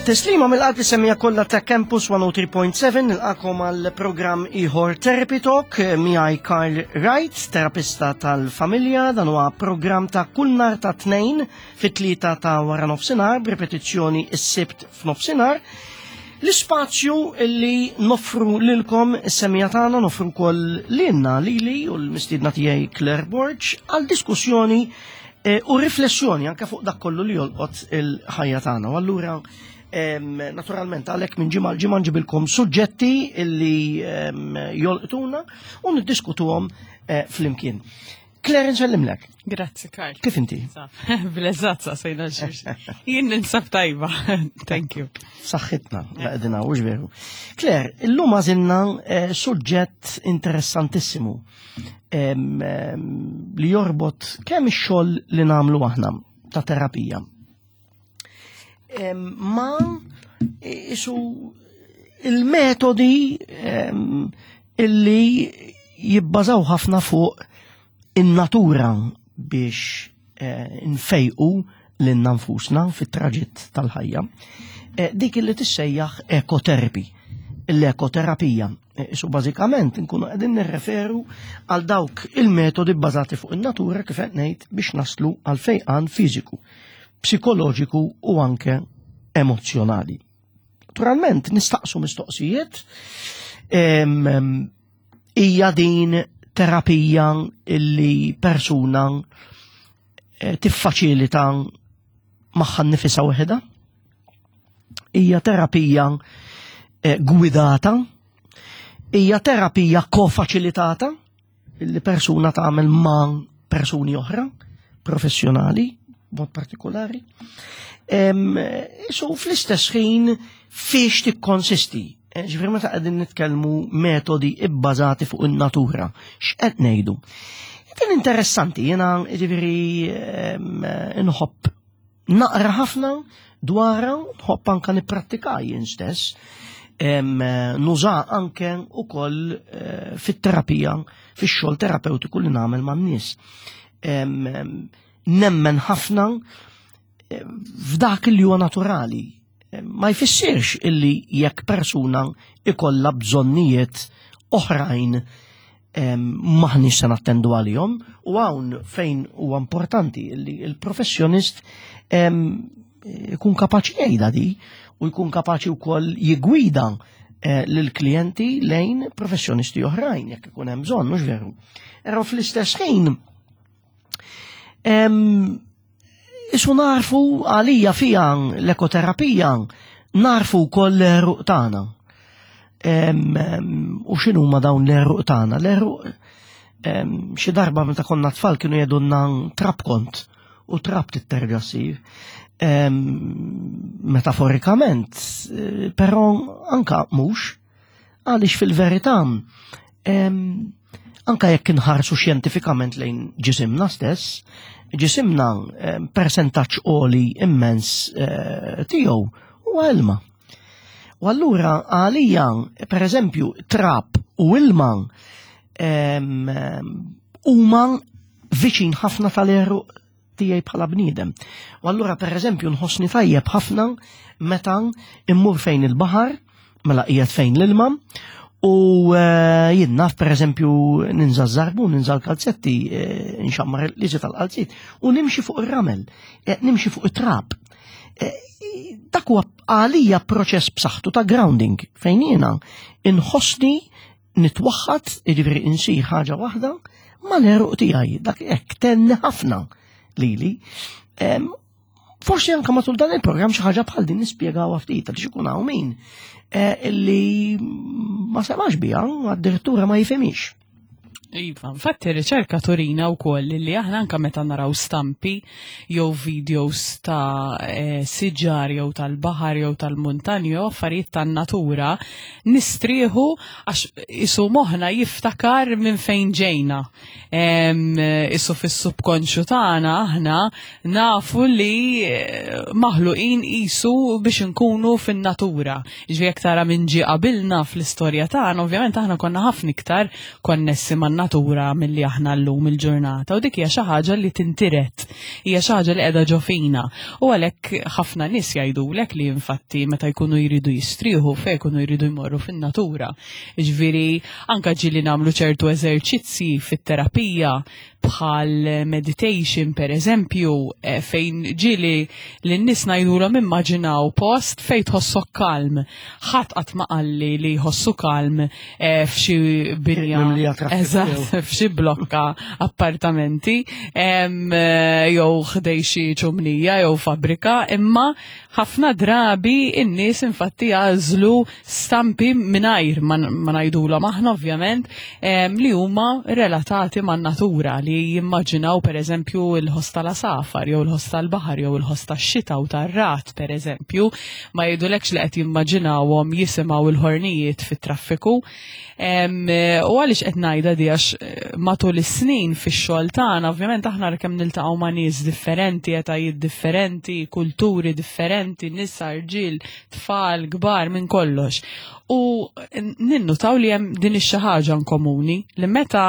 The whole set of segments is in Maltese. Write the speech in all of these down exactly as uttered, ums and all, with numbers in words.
Tislima mill-qalb lis-semmiegħa kollha ta' Campus mija u tlieta punt seba', nilqagħkom għal programm ieħor Therapy Talk miegħi Karl Wright, terapista tal-familja. Dan huwa programm ta' kull nhar ta' Tnejn fit-tlieta ta' wara nofsinhar, b'ripetizzjoni s-Sibt f'nofsinhar. L-ispazju illi noffru lilkom is-semmiegħa tagħna, noffru wkoll lilna, lili u l-mistiedna tiegħi Claire Borg, għal diskussjoni eh, u riflessjoni anke fuq dak kollu li jolqot il-ħajja tagħna. U allura naturalment għalhekk minn ġimgħa l-ġimgħa nġibilkom suġġetti illi jolqtuna u niddiskutuhom eh, flimkien. Claire, nsellimlek. Grazzi, Karl. Kif inti? Bil-eżatt sejna xiex. Jien ninsab tajba. Thank you. Saħħitna, laqdina, u veru. Claire, illum għażilna eh, suġġett interessantissimu li jorbot kemm ix-xogħol li nagħmlu aħna ta' terapija ma isu il-metodi illi jibbażaw ħafna fuq in-natura biex eh, nfejqu lilna nfusna fit-traġitt tal-ħajja. Eh, dik illi tissejjaħ ekoterapi, l-ekoterapija. Eh, Isu bażikament nkunu qegħdin nirreferu għal dawk il-metodi bbażati fuq in-natura, kif qed ngħid, biex naslu għal fejqan fiżiku, psikoloġiku u anke emozjonali. Naturalment nistaqsu mistoqsijiet: hija din terapija illi persuna eh, tiffaċilita magħha nnifisha waħedha? Hija terapija eh, gwidata? Hija terapija kofaċilitata illi persuna tagħmel ma' persuni oħra professjonali mod partikolari? So fl-istess ħin fiex tikkonsisti? Eh, ġifieri meta qegħdin nitkellmu metodi ibbażati fuq in-natura, x'qed ngħidu? Din interessanti, jiena ġifieri nħobb naqra ħafna dwarha, nħobb anka nipprattika jien stess. Nuża anke ukoll eh, fit-terapija, fix-xogħol terapeutiku li nagħmel man-nies. Nemmen ħafna eh, f'dak li huwa naturali. Ma jfissirx illi jekk persuna ikolla bżonnijiet oħrajn maħniex se nattendu għalihom, u hawn fejn huwa importanti illi il-professjonist ikun kapaċi jgħidha di u jkun kapaċi wkoll jigwida eh, lill-klijenti lejn professjonisti oħrajn jekk ikun hemm bżonn, mhux veru? Però fl-istess ħin isu narfu għalija fija l-ekoterapija narfu wkoll l-għeruq tagħna. U x'inhu ma dawn l-għeruq tagħna? L-għeruq, xi darba meta konna tfal kienu jgħidulna trab kont u trab titterġa' ssir. Metaforikament, eh, però anka mhux, għaliex fil-verità anka jekk inħarsu xjentifikament lejn ġisimna stess, ġisimna persentaġġ għoli immens eh, tiegħu huwa ilma. U allura għalija, per eżempju, trab u ilma huma viċin ħafna tal-għeruq tiegħi bħala bniedem. U allura, per eżempju, nħossni tajjeb ħafna meta immur fejn il-baħar, mela qiegħed fejn l-ilma, u eh, jien naf, per eżempju, ninża żarbun, ninża l-kalzetti, eh, nxammar l-liġi tal-qalzit, u nimxi fuq ir-ramel, eh, nimxi fuq it-trab. Dak huwa għalija proċess b'saħħtu ta' grounding fejn jiena inħossni nitwaħħad, jiġifieri insir ħaġa waħda mal-għeruq tiegħi, dak hekk tenni ħafna lili. Forsi anka matul dan il-programm xi ħaġa bħal din nispjegaw ftit għaliex ikun hawn min eh, illi ma semax biha, addirittura ma jifhimix. Iva, infatti riċerka turina wkoll li aħna anka meta naraw stampi jew videos ta' e, siġar jew tal-baħar jew tal-muntanji jew affarijiet tan-natura nistrieħu, għax isu moħna jiftakar minn fejn ġejna. Isu fis-subkonxju tagħna aħna nafu li eh, maħluqin isu biex nkunu fin-natura. Ġifieri jekk tara minn ġie qabilna fl-istorja tagħna, ovvjament aħna konna ħafna iktar konnessi man man-natura milli aħna llum il-ġurnata, u dik hija xi ħaġa li tintiret, hija xi ħaġa li qiegħda ġo fina. U għalhekk ħafna nies jgħidulek li infatti meta jkunu jridu jistrieħu fejn jkunu jridu jmorru fin-natura. Jiġifieri anke ġieli nagħmlu ċertu eżerċizzi fit-terapija bħal meditation per eżempju, eh, fejn ġieli lin-nies ngħidulhom immaġinaw post fejn tħossok kalm. Ħadd qatt ma qalli li jħossu kalm eh, f'xi binja. Mimlija traffiku. Eżatt, f'xi blokka appartamenti em, eh, jew ħdej xi ċumnija jew fabbrika, imma ħafna drabi in-nies infatti jagħżlu stampi mingħajr ma ma ngħidulhom aħna ovvjament em, li huma relatati man-natura, li jimmaġinaw per eżempju il-ħoss tal-għasafar jew il-ħoss tal-baħar jew il-ħoss tax-xita u tar-ragħad per eżempju, ma jgħidulekx li qed jimmaġinawhom jisimgħu il-ħornijiet fit-traffiku. Em, U għaliex qed ngħidha di għax eh, matul is-snin fix-xogħol tagħna ovvjament aħna kemm niltaqgħu ma' nies differenti, etajiet differenti, kulturi differenti, nisa, rġiel, tfal, kbar, minn kollox. U ninnutaw li hemm din ix-xi ħaġa komuni li meta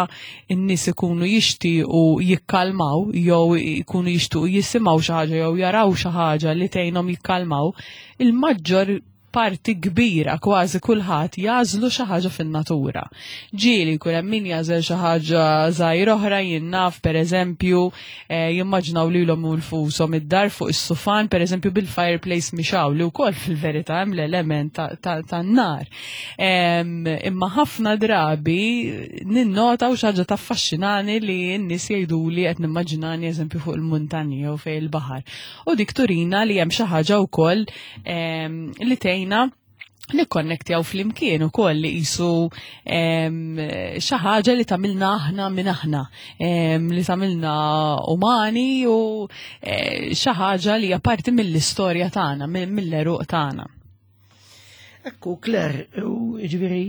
n-nies ikunu jixtiequ jikkalmaw jew ikunu jixtiequ jisimgħu xi ħaġa jew jaraw xi ħaġa li tgħinhom jikkalmaw, il-maġġor parti kbira kważi kulħadd jagħżlu xi ħaġa fin-natura. Ġieli jkun hemm min jagħżel xi ħaġa żgħir oħra, jien naf pereżempju eh, jimmaġinaw lilhom infushom id-dar fuq is-sufan pereżempju bil-fireplace mixgħul, li wkoll fil-verità hemm l-element tan-nar. Imma ħafna drabi ninnota u xi ħaġa taffaxxinani li n-nies jgħiduli qed nimmaġinani eżempju fuq il-muntanji jew fejn il-baħar. U dik turina li hemm xi ħaġa wkoll li tgħinna nikkonnektjaw flimkien ukoll, li qisu xi ħaġa li tagħmilna aħna minn aħna, li tagħmilna umani u eh, xi ħaġa li hija parti mill-istorja tagħna, mill-għeruq tagħna. Ekku, Claire, ġifieri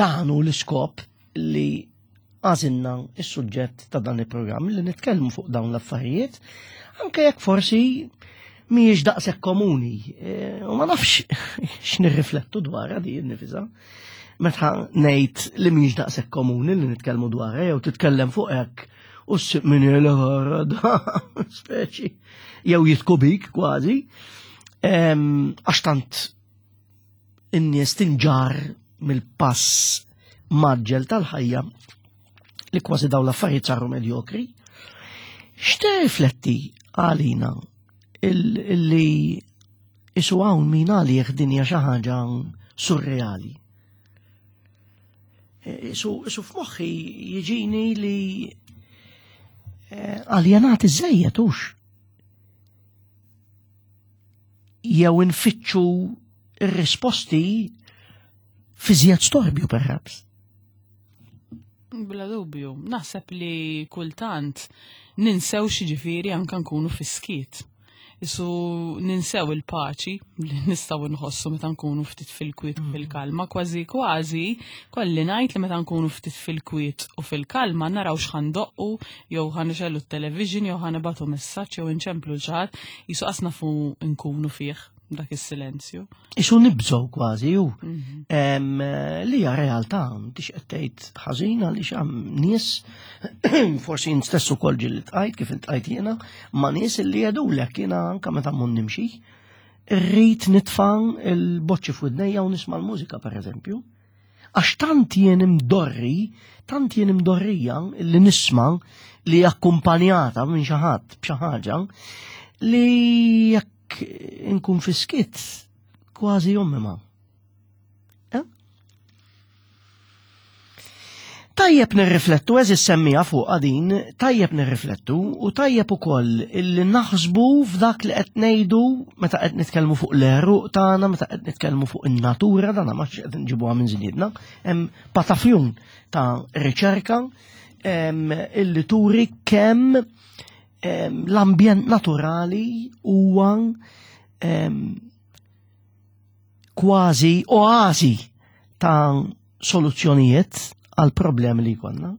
dan hu l-iskop li għażilna is-suġġett ta' dan il-programm, li nitkellmu fuq dawn l-affarijiet, anke jekk forsi mhijiex daqshekk komuni. E, u ma nafx x'nirriflettu dwarha di nifisha. Meta ngħid li mhijiex daqshekk komuni li nitkellmu dwarha jew titkellem fuq hekk u ssib min da speċi jew jidħku bik kważi. Għax tant in-nies tinġar mill-pass mgħaġġel tal-ħajja li kważi daw l-affarijiet saru medjokri. X'tirrifletti għalina illi isu hawn min għalih dinja xi ħaġa surreali? Isu, isu f'moħħi jiġini li eh, aljenati żejjed hux. Jew infittxu ir-risposti fi żjed storbju perhaps. Bla dubju, naħseb li kultant ninsew x'jiġifieri anka nkunu fis-skiet. Isu ninsew il-paċi li nistgħu nħossu meta nkunu ftit fil-kwiet u fil-kalma, kważi kważi kolli ngħid li meta nkunu ftit fil-kwiet u fil-kalma naraw x'ħa ndoqqu jew ħa nixegħlu t-television jew ħa nibagħtu messaġġ jew inċemplu 'l xi ħadd, jisu qas nafu nkunu fih dak is-silenzju. Isu nibżgħu kważi ju. Em, Li hija realtà, m'intix qed tgħid ħażina li hemm nies, forsi jien stess ukoll ġieli ltqajt kif iltqajt jiena, ma' nies li jgħidulek jiena anke meta mmur nimxi, irrid nitfa' il-boċċi f'widnejja u nisma' l-mużika pereżempju. Għax tant jien imdorri, tant jien imdorrija li nisma' li akkumpanjata minn xi ħadd b'xi ħaġa li jekk inkun fis-skiet kważi jommi ma. Eh? Tajjeb nirriflettu, eżis semmija fuq din, tajjeb nirriflettu u tajjeb ukoll illi naħsbu f'dak li qed ngħidu meta qed nitkellmu fuq l-għeruq tagħna, meta qed nitkellmu fuq in-natura, dana ma qed nġibuha minn żniedna, hemm patafjun ta' riċerka em, illi turi kemm em, l-ambjent naturali huwa em, kważi oazi ta' soluzzjonijiet għal problemi li jkollna.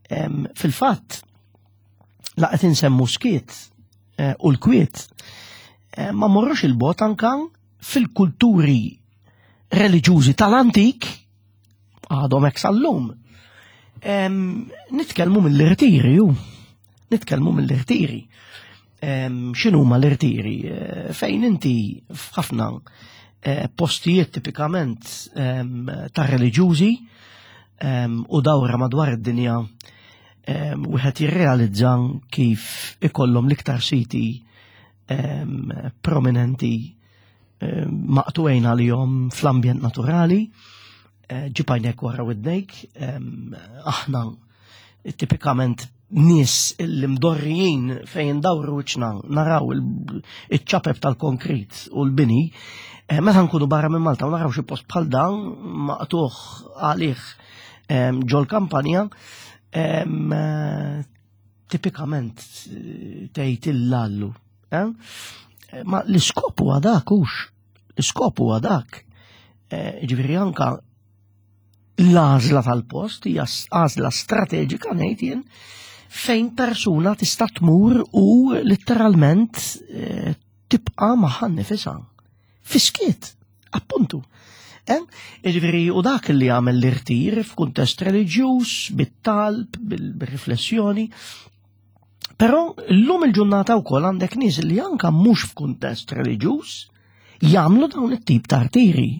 Em, Fil-fatt, la qed insemmu skiet eh, u l-kwiet, eh, ma morrux il-bogħod anka fil-kulturi reliġjużi tal-antik għadhom hekk sal-lum. Nitkellmu mill-irtiri, ju. Nitkellmu mill-irtiri. X'inhuma l-irtiri? Eh, fejn inti f'ħafna eh, postijiet tipikament ta' reliġjużi u dawra madwar id-dinja, wieħed jirrealizza kif ikollhom l-iktar siti prominenti maqtuwejn għalihom fl-ambjent naturali, eh, ġib għajnek wara widnejk. Aħna tipikament nies li mdorrijin fejn dawru wiċċna naraw il-ċapep tal-konkrit u l-bini, eh, meta nkunu barra minn Malta u naraw xi post bħal dan maqtuħ għalih ġol kampanja, tipikament eh, tgħid illallu. Eh? Ma l-iskop huwa dak hux, l-iskop huwa dak. Ġifieri anka l-għażla tal-post hija għażla strateġika, ngħid jien, fejn persuna tista' tmur u letteralment eh, tibqa' magħha nnifisha. Fis-skiet, appuntu. Eh? Ġifieri, u dak li għamel l-irtir f'kuntest reliġjuż, bit-talb, bil-riflessjoni. Però llum il-ġurnata wkoll għandek nies li anka mhux f'kuntest reliġjuż jagħmlu dawn it-tip ta' rtiri.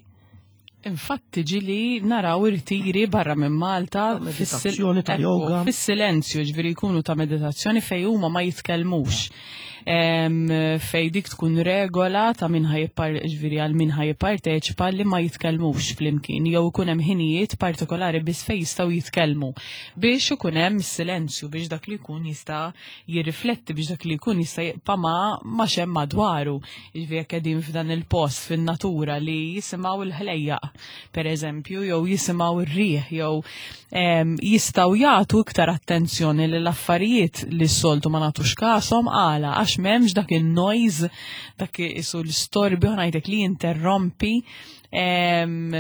Infatti ġieli naraw irtiri barra minn Malta Meditazzjoni ta' yoga. Fis-silenzju, ġifieri jkunu ta' meditazzjoni fej huma ma jitkellmux. Em, Fej dik tkun regola ta' min ħa jippar ġifieri għal min ħa jipparteċipa li ma jitkellmux flimkien jew ikun hemm ħinijiet partikolari biss fej jistgħu jitkellmu biex ikun hemm silenzju, biex dak li jkun jista' jirrifletti, biex dak li jkun jista' jibqa' ma' ma' xemm madwaru. Ġifieri jekk qegħdin f'dan il-post fin-natura li jisimgħu l-ħlejjaq, per eżempju, jew jisimgħu r-riħ, jew em, jistgħu jagħtu iktar attenzjoni lill affarijiet li s-soltu ma nagħtux kashom. Għala? Għax m'hemmx dak il-noise, dak isu l-istorbju, ngħidlek, li jinterrompi em,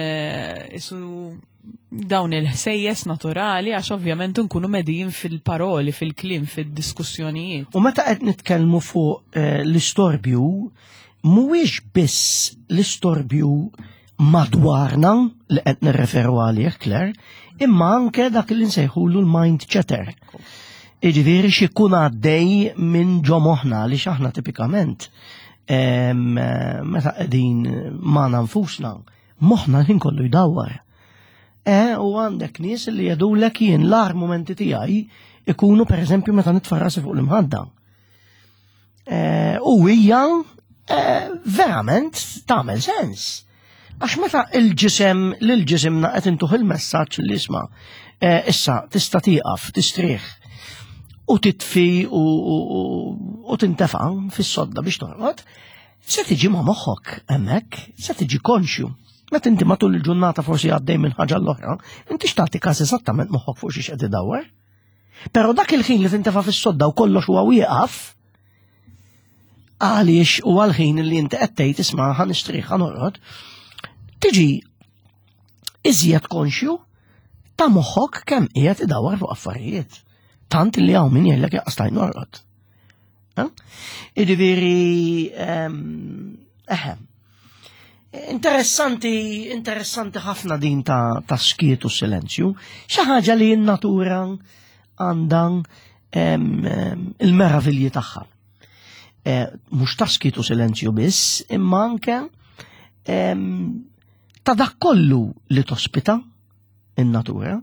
isu dawn il-ħsejjes naturali, għax ovvjament nkunu medin fil-paroli, fil-kliem, fil-diskussjonijiet. U meta qed nitkellmu fuq eh, l-istorbju, mhuwiex biss l-istorbju madwarna li qed nirreferu għalih, Claire, imma anke dak li nsejħulu l-mind chatter. Iġifieri x'ikun għaddej minn ġo moħħna, li x'aħna tipikament em, meta qegħdin magħna nfusna, moħħna l-ħin kollu jdawwar. E, u għandek nies li jgħidulek, "Jien l-agħar momenti tiegħi ikunu per eżempju meta nitfa' rasi fuq l-imħadda." E, u hija e, verament tagħmel sens. Għax meta il-ġisem, lil-ġisimna qed intuh il-messaġġ li isma' e, issa tista' tieqaf, tistrieħ u titfi u, u, u, u tintefa' fis-sodda biex torqod, se tiġi ma' moħħok hemmhekk, se tiġi konxju. Meta inti matul il-ġurnata forsi għaddej minn ħaġa l-oħra, inti x'tagħti każ eżattament moħħok fuq xiex qed idawwar. Però dak il-ħin li tintefa' fis-sodda u kollox huwa wieqaf, għaliex u għal-ħin li inti qed tgħid, "Isma', ħa nistrieħ, ħa norqod", tiġi iżjed konxju ta' moħħok kemm qiegħed idawwar fuq affarijiet. Tant li hawn min jgħidlek, "Jaqas stajt norqod." Eh? Jiġifieri, ehm, eħe. Interessanti, interessanti ħafna din ta', ta' skiet u silenzju. Xi ħaġa li n-natura għandha em, em, il-meravilji tagħha. Eh, Mhux ta' skiet u silenzju biss, imma anke em, ta' dak kollu li tospita in-natura.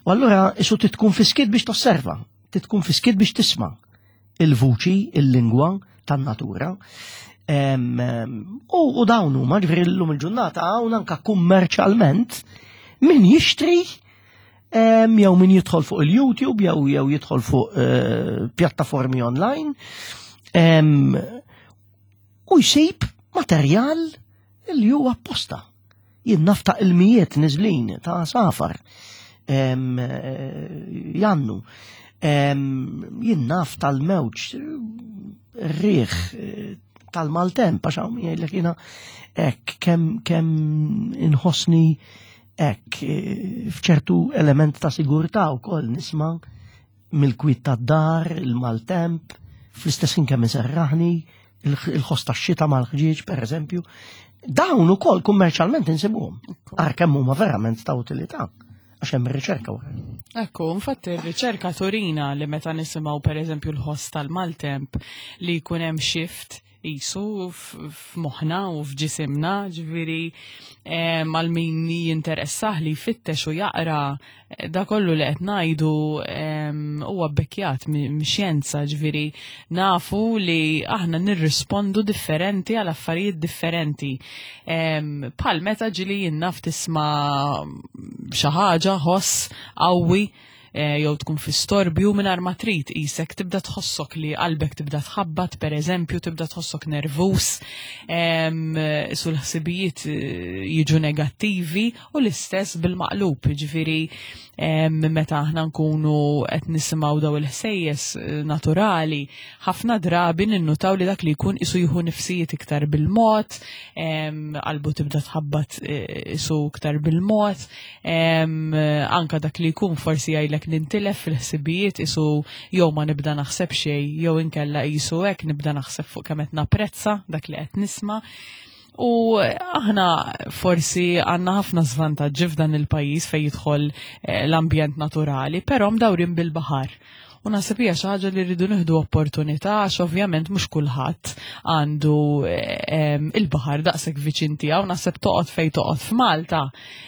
U allura isu titkun fis-skiet biex tosserva, titkun fis-skiet biex tisma' il-vuċi, il-lingwa tan-natura. Em, em, U, u dawn huma, ġifieri llum il-ġurnata hawn anka kummerċjalment min jixtri em, jew min jidħol fuq il-YouTube jew jew jidħol fuq eh, pjattaformi online em, u jsib materjal li huwa apposta. Jien naf ta' ilmijiet niżlin ta' għasafar em, eh, jannu. Em, Jien naf tal-mewġ, riħ, eh, tal-maltemp, għax hawn min jgħidlek, "Jiena hekk kemm kemm inħossni hekk eh, f'ċertu element ta' sigurtà wkoll nisma' mill-kwiet tad-dar, il-maltemp, fl-istess ħin kemm iserraħni, il-ħoss tax-xita mal-ħġieġ, per eżempju." Dawn ukoll kummerċjalment insibuhom. Ara kemm huma verament ta' utilità. Għax hemm riċerka wara. Ekku, infatti r-riċerka turina li meta nisimgħu pereżempju l-ħoss tal-maltemp li jkun hemm shift jisu f'moħħna u f'ġisimna, ġifieri għal min jinteressah li jfittex u jaqra eh, da kollu li qed ngħidu huwa bbekkjat mix-xjenza, ġifieri nafu li aħna nirrispondu differenti għal affarijiet differenti. Bħal meta ġili jinnaf tisma' xi ħaġa ħoss qawwi Eh, jew tkun fi storbju mingħajr ma trid qisek tibda tħossok li qalbek tibda tħabbat, pereżempju, tibda tħossok nervus, su l-ħsibijiet eh, jiġu negattivi u l-istess bil-maqlub, ġifieri meta aħna nkunu qed nisimgħu daw il-ħsejjes eh, naturali, ħafna drabi ninnutaw li dak li jkun isu jieħu nifsijiet iktar bil-mod, qalbu tibda tħabbat isu iktar bil-mod, anka dak li jkun forsi jgħidlek nintilef fil-ħsibijiet isu jew ma nibda naħseb xejn jew inkella isu hekk nibda naħseb fuq kemm qed napprezza dak li qed nisma'. U aħna forsi għandna ħafna żvantaġġi f'dan il-pajjiż fejn jidħol eh, l-ambjent naturali, però mdawrin bil-baħar. U naħseb hija xi ħaġa li rridu nieħdu opportunità għax ovvjament mhux kulħadd għandu il-baħar daqshekk viċin tiegħu, naħseb toqgħod fejn toqgħod f'Malta.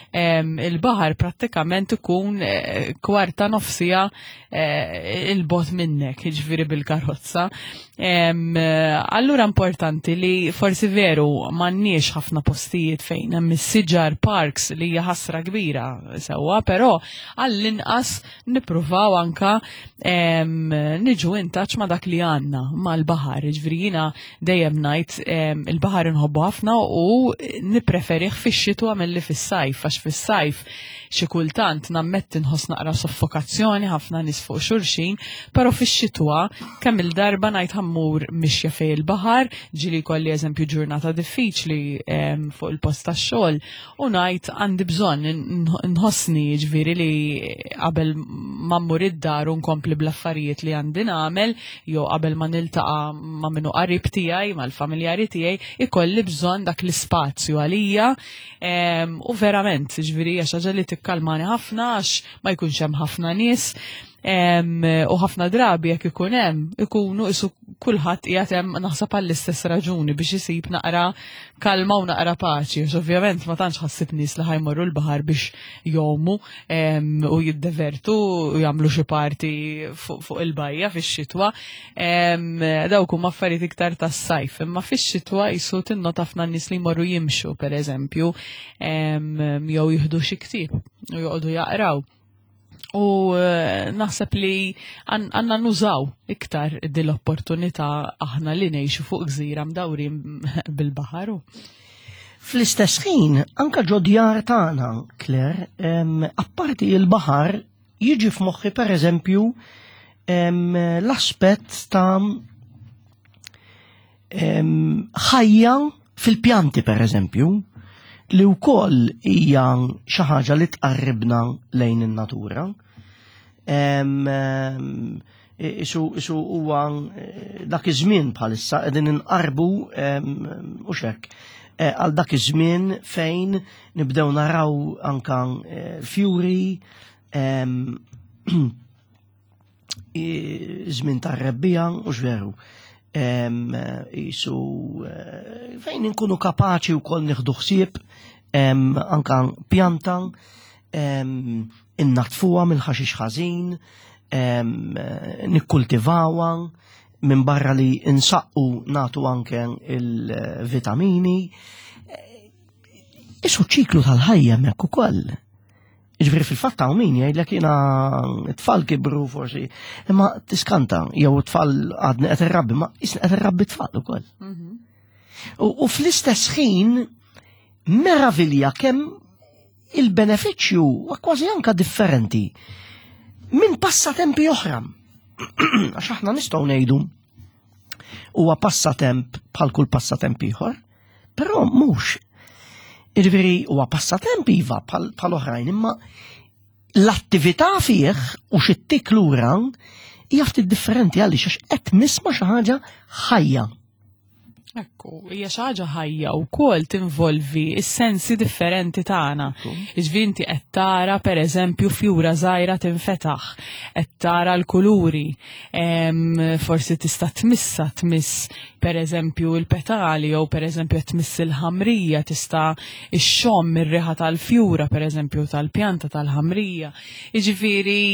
Il-baħar prattikament ikun eh, kwarta nofsija eh, il-bot minnek, jiġifieri bil-karozza. Allura importanti li forsi veru m'għandniex ħafna postijiet fejn hemm is-siġar parks li hija ħasra kbira sewwa, però għall-inqas nippruvaw anka niġu in touch ma' dak li għandna mal-baħar. Ġifieri jiena dejjem ngħid il-baħar inħobbu ħafna u nippreferih fix-xitwa milli fis-sajf, għax fis-sajf xi kultant nammetti nħoss naqra soffokazzjoni ħafna nies fuq xulxin, però fix-xitwa kemm il-darba ngħid ħammur mixja fej il-baħar, ġieli kolli eżempju ġurnata diffiċli fuq il-post tax-xogħol u ngħid għandi bżonn nħossni ġifieri li qabel ma mmur id-dar u nkompli bl-affarijiet li għandi nagħmel jew qabel ma niltaqa' ma' minnu qarib tiegħi, mal-familjari tiegħi, ikolli bżonn dak l-ispazju għalija u verament ġifieri hija xi ħaġa li tikkalmani ħafna għax ma jkunx hemm ħafna nies u ħafna drabi jekk ikun hemm ikunu isu kulħadd qiegħed hemm naħseb għall-istess raġuni biex isib naqra kalma u naqra paċi. Għax ovvjament ma tantx ħassib nies li ħajmorru l-baħar biex jomu u jiddevertu u jagħmlu xi parti fuq il-bajja fix-xitwa. Dawk huma affarijiet iktar tas-sajf, imma fix-xitwa jisu tinnota ħafna nies li jmorru jimxu pereżempju jew jieħdu xi ktieb u joqogħdu jaqraw. U naħseb li għanna nużaw iktar din l-opportunità aħna li ngħixu fuq gżira mdawrin bil-baħar. Fl-istess ħin, anka ġodjar tagħna, Claire, apparti il-baħar jiġi f'moħħi pereżempju l-aspett ta' ħajja fil-pjanti pereżempju, li wkoll hija xi ħaġa li tqarribna lejn in-natura. Isu isu huwa dak iż-żmien bħalissa qegħdin inqarbu u xek għal dak iż-żmien fejn nibdew naraw anka fjuri, żmien tar-rebbija u x'veru. Isu fejn inkunu kapaċi wkoll nieħdu ħsieb anka pjanta, innatfuha mill-ħaxix ħażin, nikkultivawha minn barra li insaqqu nagħtu anke il-vitamini. Isu ċiklu tal-ħajja hemmhekk ukoll. Ġifieri fil-fatt hawn min jgħidlek jiena t-tfal kibru forsi, imma tiskanta jew t-tfal għadni qed irrabbi, ma isni qed irrabbi tfal ukoll. U fl-istess ħin meravilja kemm il-benefiċċju huwa kważi anka differenti minn passatempi oħra. Għax aħna nistgħu ngħidu huwa passatemp bħal kull passatemp ieħor, però mhux. Jiġifieri huwa passatemp iva bħal oħrajn, imma l-attività fih u xi lura hija ftit differenti għaliex għax qed nisma' xi ħaġa ħajja. Ekku, hija xi ħaġa ħajja wkoll tinvolvi s-sensi differenti tagħna. Jiġifieri inti qed tara, pereżempju, fjura żgħira tinfetaħ, qed tara l-kuluri, forsi tista' tmissa, tmiss pereżempju l-petali jew pereżempju qed tmiss il-ħamrija, tista' ixxomm ir-riħa tal-fjura, pereżempju, tal-pjanta tal-ħamrija. Jiġifieri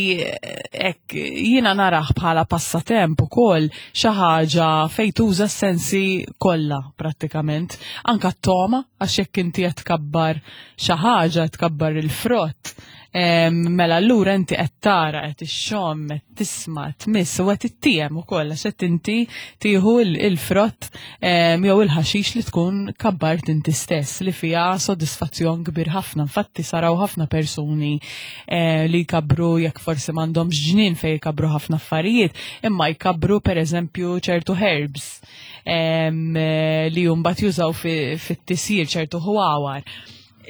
hekk jiena narah bħala passatemp ukoll, xi ħaġa fejn tuża s-sensi kollha prattikament, anka t-toma, għax jekk inti qed tkabbar xi ħaġa, tkabbar il-frott, mela allura inti qed tara, qed ixxomm, qed tisma', tmiss u qed ittiem ukoll, għax qed inti tieħu il-frott jew il-ħaxix li tkun kabbart inti stess, li fiha sodisfazzjon kbir ħafna. Infatti saraw ħafna persuni eh, li jkabru, jekk forsi m'għandhomx ġnien fejn jkabru ħafna affarijiet, imma jkabru pereżempju ċertu herbs li mbagħad jużaw fit-tisjir, ċertu ħwawar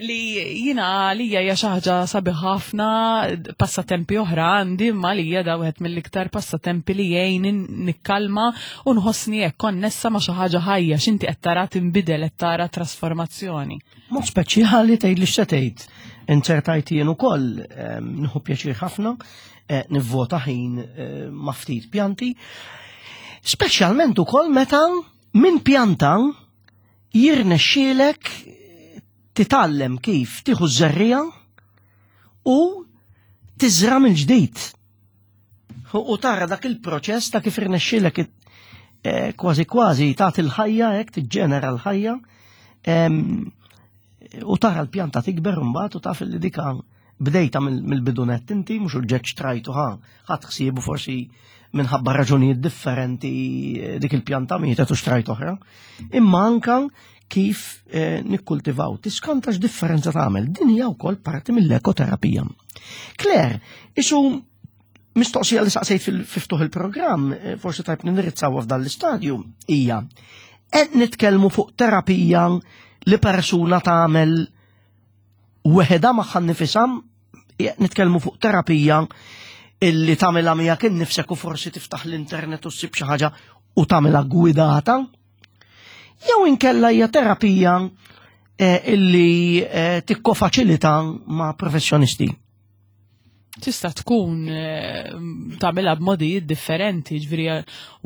li jina għalija hija xi ħaġa sabiħ ħafna. Passatempi oħra għandi, imma għalija da wieħed mill-iktar passatempi li jgħin nikkalma u nħossni hekk konnessa ma' xi ħaġa ħajja, x'inti qed tara tinbidel, qed tara trasformazzjoni. Mod speċjali tgħid li x'se tgħid. Inċertajt jien ukoll nieħu pjaċir ħafna eh, nivvota ħin eh, ma' ftit pjanti. Speċjalment ukoll meta minn pjanta jirnexxielek titgħallem kif tieħu żerriegħa u tiżra mill-ġdid. U tara dak il-proċess ta' kif irnexxielek eh, kważi kważi tagħti l-ħajja hekk, tiġġenera l-ħajja, u tara l-pjanta tikber mbagħad u taf li dika bdejta mill-bidunet inti, mhux uġġeġ trajtu ħa ħadd ħsiebu, forsi minħabba raġunijiet differenti eh, dik il-pjanta mietet u xtrajt oħra. Imma anka kif eh, nikkultivaw, tiskanta x'differenza tagħmel. Din hija wkoll parti mill-ekoterapija. Claire, isu mistoqsija li saqsejt fil-ftuħ il-programm, eh, forsi tajb nindirizzaw f'dan l-istadju, hija: qed nitkellmu fuq terapija li persuna tagħmel weħeda magħha nnifisha, nitkellmu fuq terapija illi tagħmilha miegħek innifsek u forsi tiftaħ l-internet u ssib xi ħaġa u tagħmilha gwidata, jew inkella hija terapija eh, illi eh, tikkofaċilita ma' professjonisti? Tista' tkun eh, tagħmilha b'modijiet differenti, ġifieri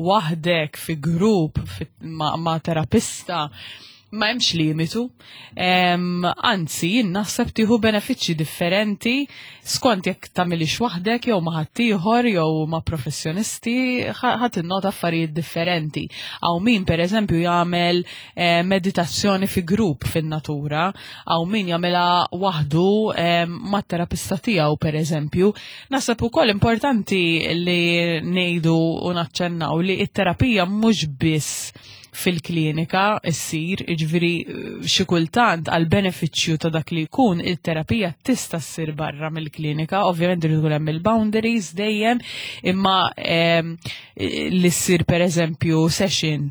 waħdek, fi grupp, ma', ma terapista, ma hemmx limitu. Anzi, jien naħseb tieħu benefiċċji differenti skont jekk tagħmilix waħdek jew ma' ħaddieħor jew ma' professjonisti, ħadd innota affarijiet differenti. Hawn min, pereżempju, jagħmel eh, meditazzjoni fi grupp fin-natura, hawn min jagħmilha waħdu mat-terapista tiegħu, pereżempju. Naħseb ukoll importanti li ngħidu u naċċennaw li t-terapija mhux biss fil-klinika issir, jiġifieri xi kultant għal benefiċċju ta' dak li jkun il-terapija tista' ssir barra mill-klinika, ovvjament irid ikun hemm il-boundaries dejjem, imma li ssir, pereżempju, session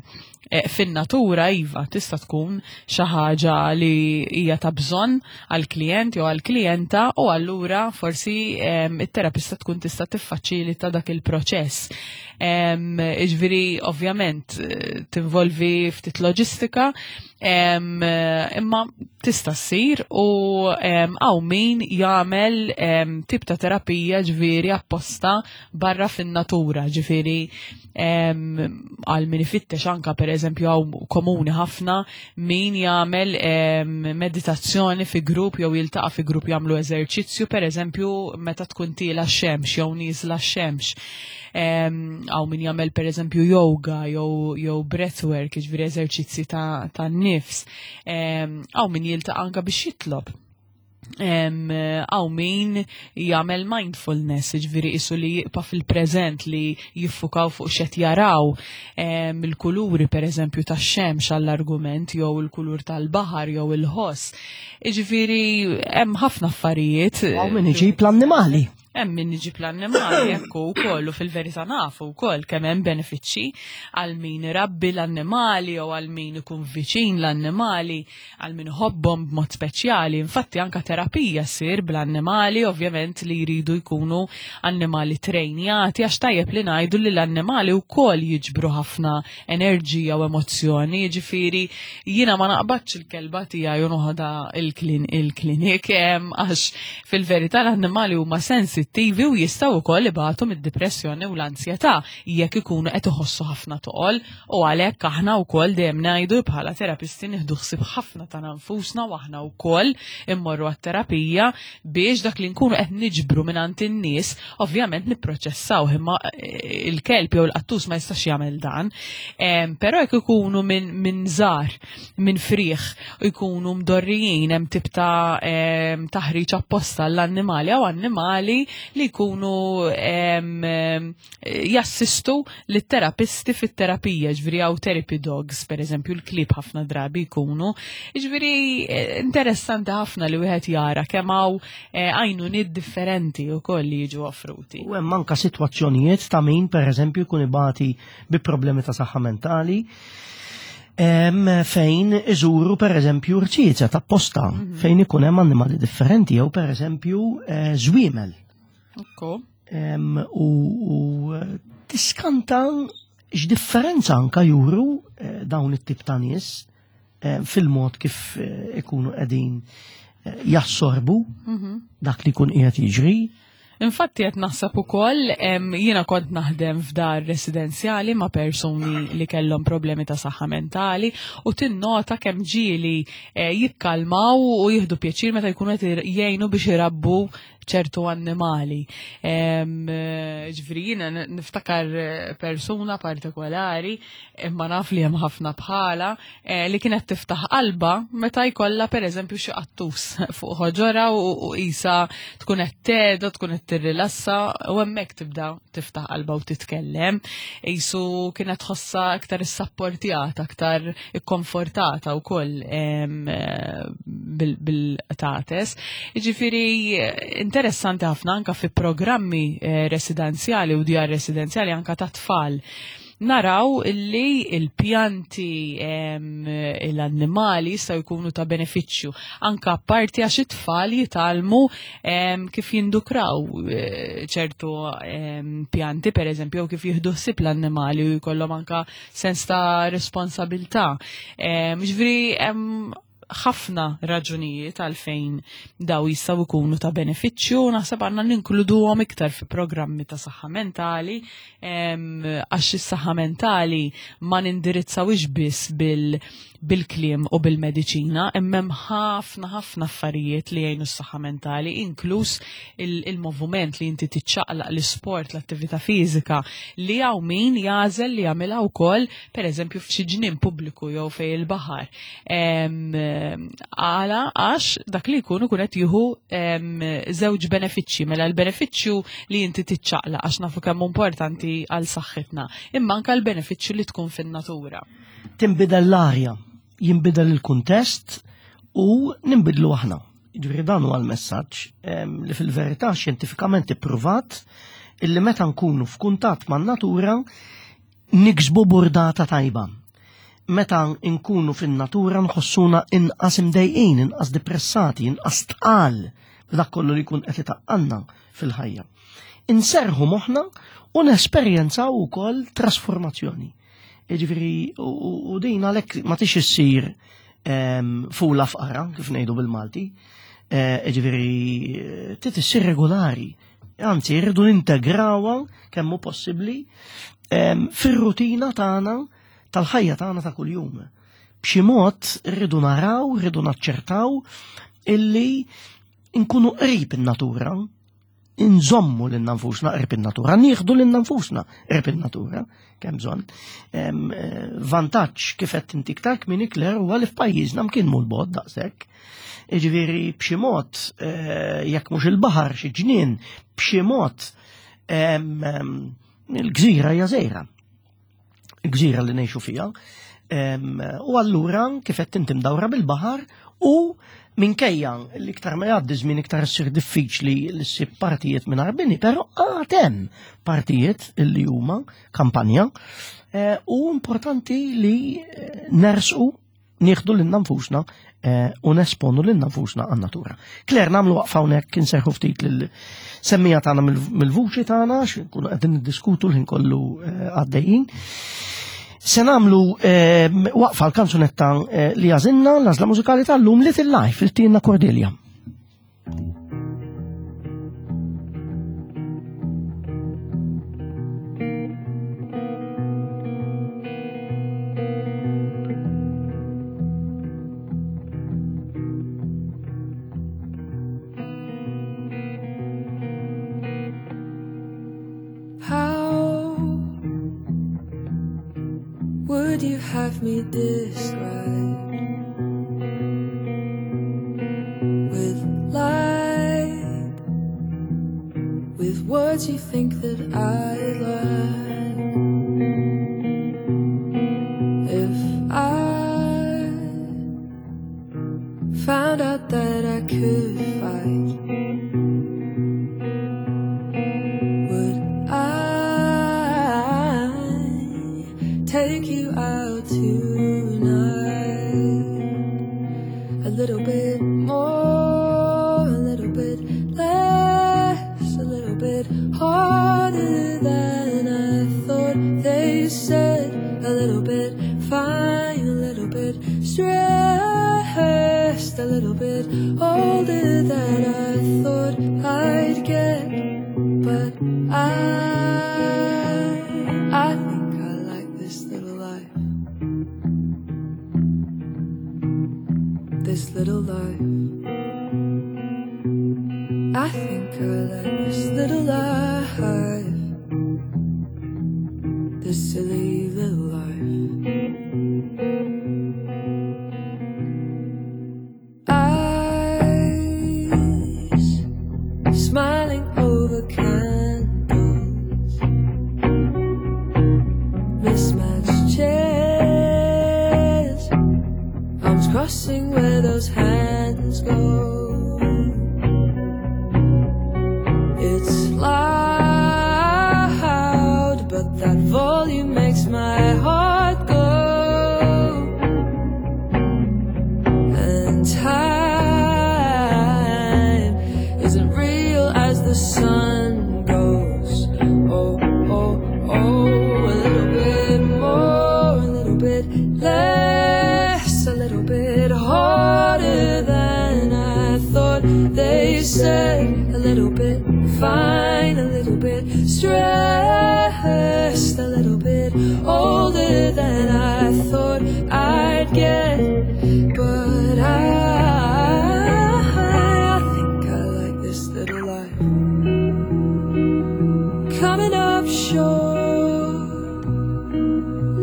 eh, fin-natura, iva, tista' tkun xi ħaġa li hija ta' bżonn għall-klijent jew għall-klijenta u allura forsi it-terapista tkun tista' tiffaċilita dak il-proċess. Jiġifieri ovvjament eh, tinvolvi ftit loġistika, imma tista' ssir u hawn min jagħmel tip ta' terapija, ġifieri, apposta barra fin-natura, ġifieri għal min ifittex anka, pereżempju, hawn komuni ħafna min jagħmel meditazzjoni fi grupp jew jiltaqa' fi grupp jagħmlu eżerċizzju, pereżempju, meta tkun tiela x-xemx jew nieżla x-xemx. Hawn min jagħmel, pereżempju, yoga jew jew breathwork, jiġifieri eżerċizzi ta', ta nifs. Hawn min jiltaqa' anka biex jitlob. Hawn min jagħmel mindfulness, ġifieri isu li jibqa' fil-preżent, li jiffukaw fuq x'qed jaraw, il-kuluri, pereżempju, tax-xemx għall-argument, jew il-kulur tal-baħar jew il-ħoss. Ġifieri hemm ħafna affarijiet. Hawn min iġib l-annimali. Hemm min iġib l-annimali hekk ukoll u fil-verità nafu wkoll kemm hemm benefiċċji għal min irabbi l-annimali jew għal min ikun viċin l-annimali, għal min iħobbhom b'mod speċjali. Infatti anka terapija ssir bl-annimali, ovvjament li jridu jkunu annimali trejnjati, għax tajjeb li ngħidu li l-annimali wkoll jiġbru ħafna enerġija u emozzjoni, jiġifieri jiena ma naqbadx il-kelba tiegħi u noħodha il-klinik, għax fil-verità l-annimali huma sensittivi u jistgħu wkoll ibatu mid-depressjoni u l-ansjetà jekk ikunu qed iħossu ħafna toqol, u għalhekk aħna wkoll dejjem ngħidu bħala terapisti nieħdu ħsieb ħafna ta' nfusna u aħna wkoll immorru għat-terapija biex dak li nkunu qed niġbru mingħand in-nies ovvjament nipproċessaw, imma il-kelb jew il-qattus ma jistax jagħmel dan. Però jekk ikunu minn min żgħar, minn friħ, u jkunu mdorrijin hemm tip ta' taħriġ apposta l-annimali jew annimali li jkunu jassistu lit-terapisti fit-terapija, ġifieri hawn therapy dogs, per eżempju, l-klieb ħafna drabi jkunu. Ġifieri interessanti ħafna li wieħed jara kemm hawn għajnuniet differenti wkoll li jiġu offruti. U hemm anka sitwazzjonijiet ta' min pereżempju jkun ibati bi problemi ta' saħħa mentali, fejn iżuru per eżempju rċiezet apposta, fejn ikun hemm annimali differenti jew per eżempju żwiemel. U tiskanta x'differenza anka juru dawn it-tip ta' nies fil-mod kif ikunu qegħdin jassorbu dak li jkun qiegħed jiġri. Infatti qed naħseb ukoll, jiena kont naħdem f'dar residenzjali ma' persuni li kellhom problemi ta' saħħa mentali u tinnota kemm ġieli jikkalmaw u jieħdu pjaċir meta jkunu qed jgħinu biex irabbu ċertu annimali. Ġifieri jiena niftakar persuna partikolari, imma naf li hemm ħafna bħala, li kienet tiftaħ qalba meta jkollha pereżempju xi qattus fuq ħoġora u qisha tkun qed tgħedha, tkun qed tirrilassa u hemmhekk tibda tiftaħ qalba u titkellem. Qisu kienet tħossha aktar issapportjata, aktar ikkonfortata wkoll bil-qtates. Jiġifieri interessanti ħafna anka fi programmi residenzjali u djar residenzjali anka ta' tfal. Naraw illi il-pjanti, l-annimali jistgħu jkunu ta' benefiċċju anka apparti għax it-tfal jitgħallmu kif jindukraw ċertu pjanti per eżempju, jew kif jieħdu ħsieb l-annimali u jkollhom anka sens ta' responsabilità. Ġifieri hemm ħafna raġunijiet għalfejn daw jistgħu jkunu ta' benefiċċju, naħseb għandna ninkluduhom iktar fi programmi ta' saħħa mentali, għax is-saħħa mentali ma nindirizzawhiex biss bil bil-kliem u bil-mediċina, imma hemm ħafna ħafna affarijiet li jgħinu s-saħħa mentali, inkluż il-moviment li inti tiċċaqlaq, l-isport, l-attività fiżika, li hawn min jagħżel li jagħmilha wkoll pereżempju f'xi ġnien pubbliku jew fejn il-baħar. Għala għax dak li jkun ikun qed jieħu żewġ benefiċċji, mela l-benefiċċju li inti tiċċaqlaq għax nafu kemm importanti għal saħħitna, imma anke l-benefiċċju li tkun fin-natura. Tinbidel l-arja, jinbidel il-kuntest u ninbidlu aħna. Ġifieri dan huwa l-messaġġ li fil-verità xjentifikament ippruvat illi meta nkunu f'kuntatt man-natura niksbu burdata tajba. Meta nkunu fin-natura nħossuna inqas imdejqin, inqas depressati, inqas tqal b'dak kollu li jkun qed itaqqalna fil-ħajja. Inserħu moħħna u nesperjenzaw ukoll trasformazzjoni. Jiġifieri u din għalhekk ma tix issir fula fqara, kif ngħidu bil-Malti, jiġifieri trid issir regolari. Anzi, rridu nintegrawha kemm hu possibbli fir-rutina tagħna tal-ħajja tagħna ta' kuljum. B'xi mod rridu naraw, rridu naċċertaw illi nkunu qrib in-natura, inżommu lil nfusna qrib in-natura, nieħdu lil nfusna qrib in-natura, kemm bżonn. Vantaġġ kif qed inti iktar kmieni Claire huwa li f'pajjiżna mkien mhu l-bogħod daqshekk. Jiġifieri b'xi mod jekk mhux il-baħar xi ġnien, b'xi mod il-gżira hija żgħira. Il-gżira li ngħixu fiha. U allura kif qed inti mdawra bil-baħar u Minkejja li iktar ma jgħaddi żmien iktar issir diffiċli li ssib partijiet mingħajr bini, però għad hemm partijiet li huma kampanja eh, u importanti li eh, nersqu nieħdu lilna nfusna eh, u nesponu lilna nfusna għan-natura. Claire, nagħmlu waqfa hawnhekk inserħu ftit lil-semmiegħa tagħna mill-vuċi tagħna, x'inkunu qegħdin niddiskutu l-ħin kollu għaddejjin. Se nagħmlu waqfa l-kanzunetta li għażilna l-għażla mużikali tal-lum Little Life, il-Tina Cordelia. Would you have me described with light, with words you think that I like? If I found out that I could fight, would I take you out tonight? A little bit more, a little bit less, a little bit harder than I thought. They said a little bit fine, a little bit stressed, a little bit older than I thought I'd get. But I, I think I like this little life. This little life. I think I like this little life. This silly little life. Eyes smiling over candles, mismatched chairs, arms crossing where those hands go. It's loud, but that volume makes my heart go. And time isn't real as the sun goes. Oh, oh, oh, a little bit more, a little bit less, a little bit harder than I thought. They said a little bit fine, a little bit stressed, a little bit older than I thought I'd get. But I, I think I like this little life. Coming up short,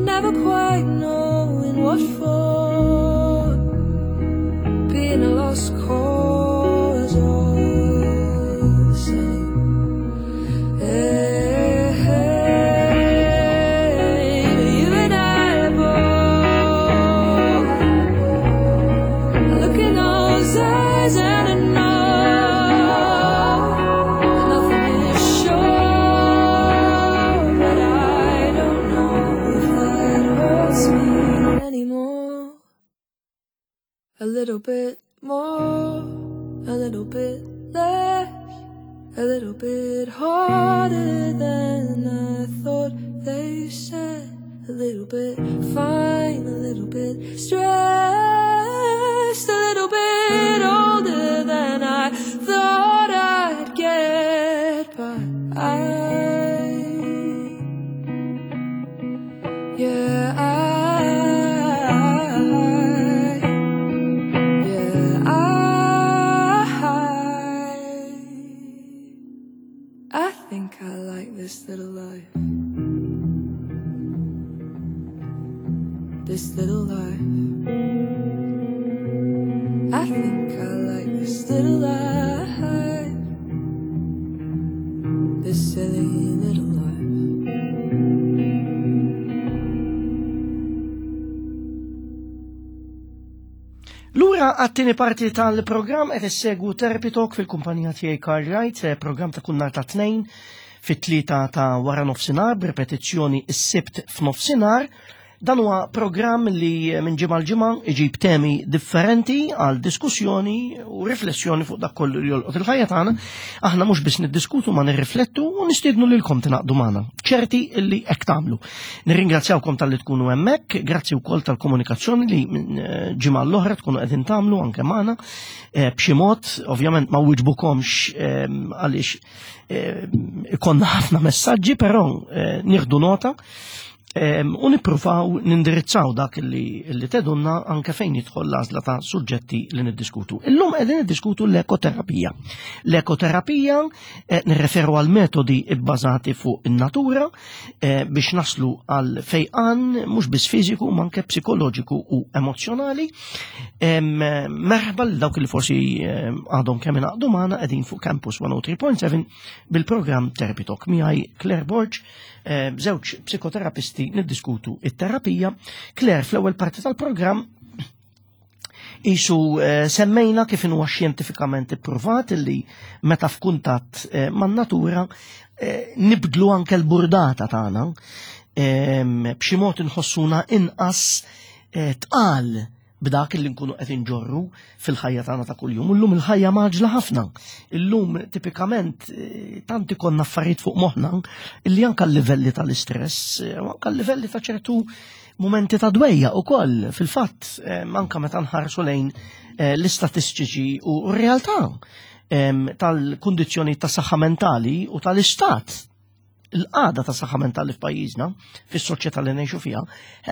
never quite knowing what for, being a lost cause all the same. Hey, hey, you and I both, I look in those eyes and I know that nothing is sure, but I don't know if that hurts me anymore. A little bit more, a little bit less, a little bit harder than I thought. They said a little bit fine, a little bit stressed, a little bit older than I thought I'd get. But I, yeah, I, yeah, I, I think I like this little life. This little life. I think I like this little life. This silly little life. Lura Lura għat-tieni parti tal-programm. Qed issegwu Therapy Talk fil-kumpanija tiegħi Karl Wright, eh, programm ta' kull nhar ta' Tnejn fit-tlieta ta' wara nofsinhar, b'ripetizzjoni s-Sibt f'nofsinhar. Dan huwa programm li minn ġimgħa l-ġimgħa iġib temi differenti għal diskussjoni u riflessjoni fuq dak kollu li jolqot il-ħajja tagħna. Aħna mhux biss niddiskutu ma nirriflettu u nistiednu lilkom tingħaqdu magħna. Ċerti illi hekk tagħmlu. Nirringrazzjawkom talli tkunu hemmhekk, grazzi wkoll tal-komunikazzjoni li minn eh, ġimgħa l-oħra tkunu qegħdin tagħmlu anke magħna eh, b'xi mod, ovvjament ma wiġbukomx eh, għaliex ikollna ħafna messaġġi, però nieħdu nota u nippruvaw nindirizzaw dak li, li tgħidulna anke fejn jidħol l-għażla ta' suġġetti li niddiskutu. Illum qegħdin niddiskutu l-ekoterapija. L-ekoterapija eh, nirreferu għal metodi bbażati fuq in-natura eh, biex naslu għal fejqan mhux biss fiżiku ma anke psikoloġiku u emozjonali. Merħba lil dawk li forsi għadhom kemm ingħaqdu magħna, qegħdin fuq Campus mija u tlieta punt seba bil-programm Therapy Talk. Miegħi Claire Borg, żewġ psikoterapisti, niddiskutu it-terapija. Claire, fl-ewwel parti tal-programm isu eh, semmejna kif huwa xjentifikament ippruvat li meta f'kuntatt eh, man-natura eh, nibdlu anke l-burdata tagħna, b'xi mod inħossuna inqas tqal b'dak li nkunu qed inġorru fil-ħajja tagħna ta' kuljum. Illum il-ħajja mgħaġġla ħafna. Illum tipikament tant ikollna affarijiet fuq moħħna illi anke l-livelli tal-istress, anke l-livelli ta' ċertu momenti ta' dwejjaq ukoll fil-fatt, anke meta nħarsu lejn l-istatistiċi u r-realtà tal-kundizzjoni ta' saħħa mentali u tal-istat, il-qagħda ta' saħħa mentali f'pajjiżna, fis-soċjetà li ngħixu fiha,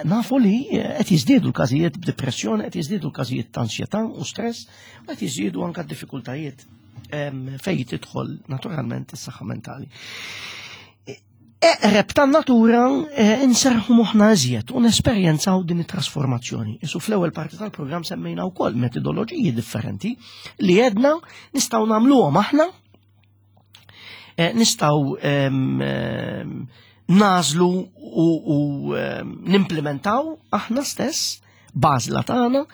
nafu li qed jiżdiedu l-każijiet b'depressjoni, qed jiżdiedu l-każijiet ta' ansjetà u stress, u qed jiżdiedu anke d-diffikultajiet fejn tidħol naturalment is-saħħa mentali. Eqreb tan-natura inserħu moħħna iżjed u nesperjenzaw din it-trasformazzjoni. Isu fl-ewwel parti tal-programm semmejna wkoll metodoloġiji differenti li għedna nistgħu nagħmluhom aħna, nistgħu nagħżlu u, u nimplementaw aħna stess b'għażla tagħna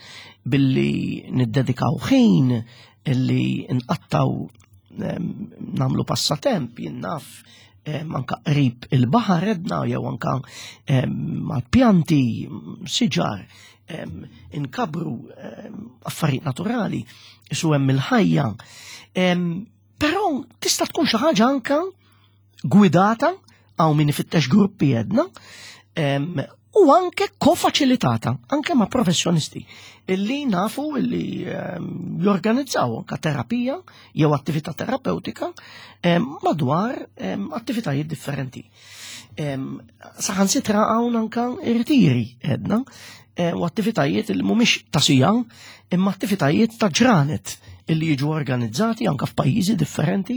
billi niddedikaw ħin illi nqattaw nagħmlu passatemp, jien naf, anka qrib il-baħar edna jew anka mal-pjanti, siġar, inkabru affarijiet naturali, isu hemm il-ħajja. Però tista' tkun xi ħaġa anka gwidata għaw min ifittex gruppi jedna u anke kofaċilitata, anke ma' professjonisti illi nafu illi jorganizzaw anka terapija jew attività terapeutika madwar attivitajiet differenti. Saħansitra hawn anka irtiri edna u attivitajiet li mhumiex ta' siegħa imma attivitajiet ta' ġranet illi jiġu organizzati anka f'pajjiżi differenti.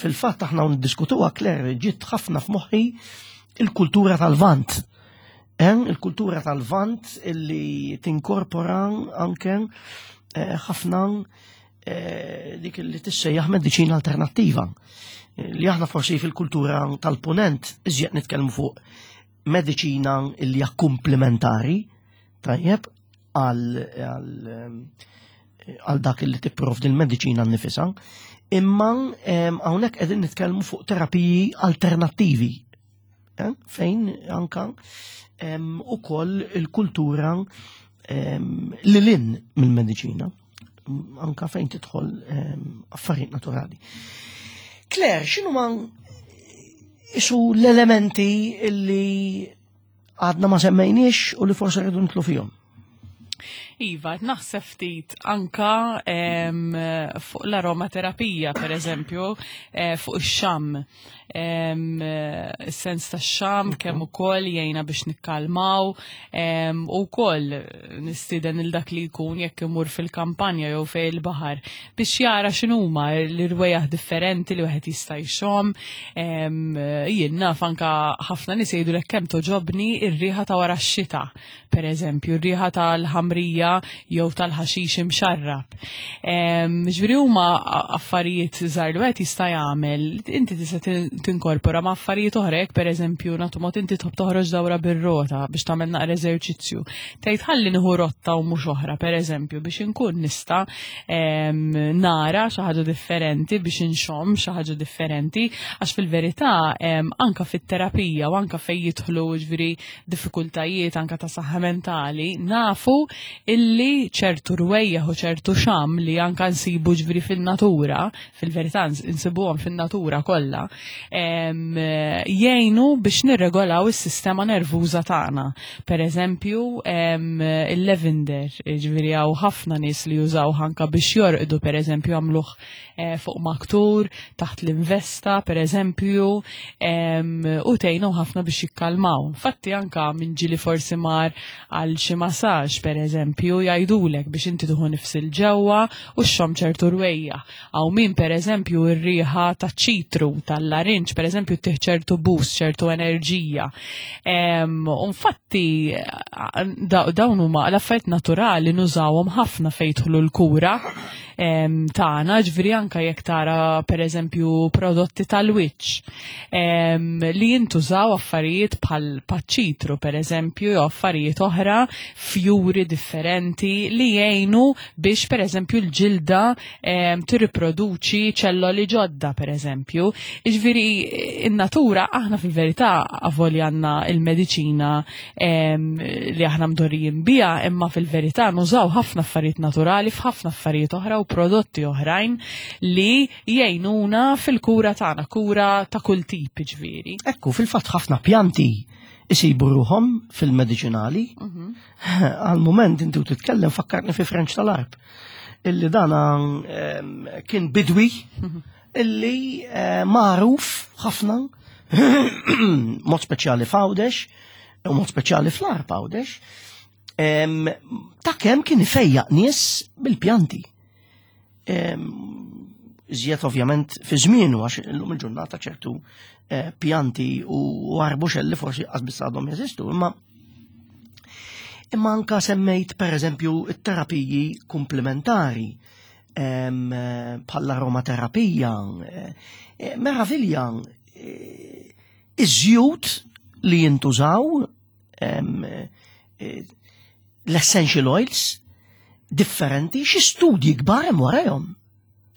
Fil-fatt aħna niddiskutuha, Claire, ġiet ħafna f'moħħi il-kultura tal-Lvant. Il-kultura tal-Lvant illi tinkorpora anke ħafna dik li tissejjaħ mediċina alternattiva. Li aħna forsi fil-kultura tal-Punent iżjed nitkellmu fuq mediċina illi hija komplementari, tajjeb, għal għal dak li tipprovdi l-mediċina nnifisha, imma hawnhekk qegħdin nitkellmu fuq terapiji alternattivi, fejn anka ukoll il-kultura lil hinn mill-mediċina, anka fejn tidħol affarijiet naturali. Claire, x'inhu ma isu l-elementi illi għadna ma semmejniex u li forse rridu nidħlu fihom? Iva, naħseb ftit anka em, fuq l-aromaterapija, per eżempju, eh, fuq ix-xam. Em, Is-sens ta' xam kemm ukoll jgħinna biex nikkalmaw em, u wkoll nistieden il dak li jkun jekk imur fil-kampanja jew fejn il-baħar biex jara x'inhuma l-irwejjaħ differenti li wieħed jista' jxomm. Em, Jien naf anka ħafna nies jgħidu lek kemm togħġobni ir-riħa ta' wara x-xita, per eżempju, ir-riħa tal-ħamrija. tal-ġebla jew tal-ħaxix imxarrab. Ġifieri huma affarijiet żgħar li wieħed jista' jagħmel, inti tista' tinkorpora ma' affarijiet oħra, jekk pereżempju nagħtu mod inti tħobb toħroġ dawra bir-rota biex tagħmel naqra eżerċizzju. Tgħid ħalli nieħu rotta u mhux oħra pereżempju biex inkun nista' nara xi ħaġa differenti, biex inxomm xi ħaġa differenti, għax fil-verità anka fit-terapija u anka fejn jidħlu ġifieri diffikultajiet anka ta' saħħa mentali, nafu illi ċertu rwejjaħ u ċertu xam li anka nsibu ġifieri fin-natura, fil-verità nsibuhom fin-natura kollha, jgħinu biex nirregolaw is-sistema nervuża tagħna. Per eżempju, il-lavender, ġifieri hawn ħafna nies li jużaw anka biex jorqdu, per eżempju għamluh fuq maktur, taħt l-investa, per eżempju, u tgħinu ħafna biex jikkalmaw. Infatti anka minn ġili forsi mar għal xi massaġġ, per eżempju, jgħidulek biex inti tuħu nifs il-ġewwa u xxomm ċertu rwejja. Hawn min per eżempju r-riħa taċ-ċitru, tal-larinġ, per eżempju, tih ċertu boost, ċertu enerġija. Infatti dawn huma l-affarijiet naturali nużawhom ħafna fejn jidħlu l-kura tagħna, ġifieri anka jekk tara per eżempju prodotti tal-wiċċ li jintużaw affarijiet bħal paċ-ċitru per eżempju jew affarijiet oħra, fjuri differenti li jgħinu biex per eżempju l-ġilda tirriproduċi ċelloli ġodda per eżempju. Ġifieri in-natura aħna fil-verità avolja għandna il-mediċina li aħna mdorrijin biha, imma fil-verità nużaw ħafna affarijiet naturali f'ħafna affarijiet oħra u prodotti oħrajn li jgħinuna fil-kura tagħna, kura ta' kull tip ġifieri. Ekku, fil-fatt ħafna pjanti isibu ruhom fil-mediċinali. Għal-moment inti u titkellem fakkarni fi Frenċ tal-Għarb, illi dana kien bidwi illi magħruf ħafna mod speċjali f'Għawdex u mod speċjali fl-Għarb Għawdex, ta' kemm kien ifejjaq nies bil-pjanti. Iżjed ovvjament fi żmienu, għax illum il-ġurnata ċertu pjanti u arbuxelli forsi qas biss għadhom jeżistu, imma imma anka semmejt per eżempju it-terapiji komplementari bħall-aromaterapija, meravilja, iż-żjut li jintużaw, l-essential oils differenti, xi studji kbar hemm warahom.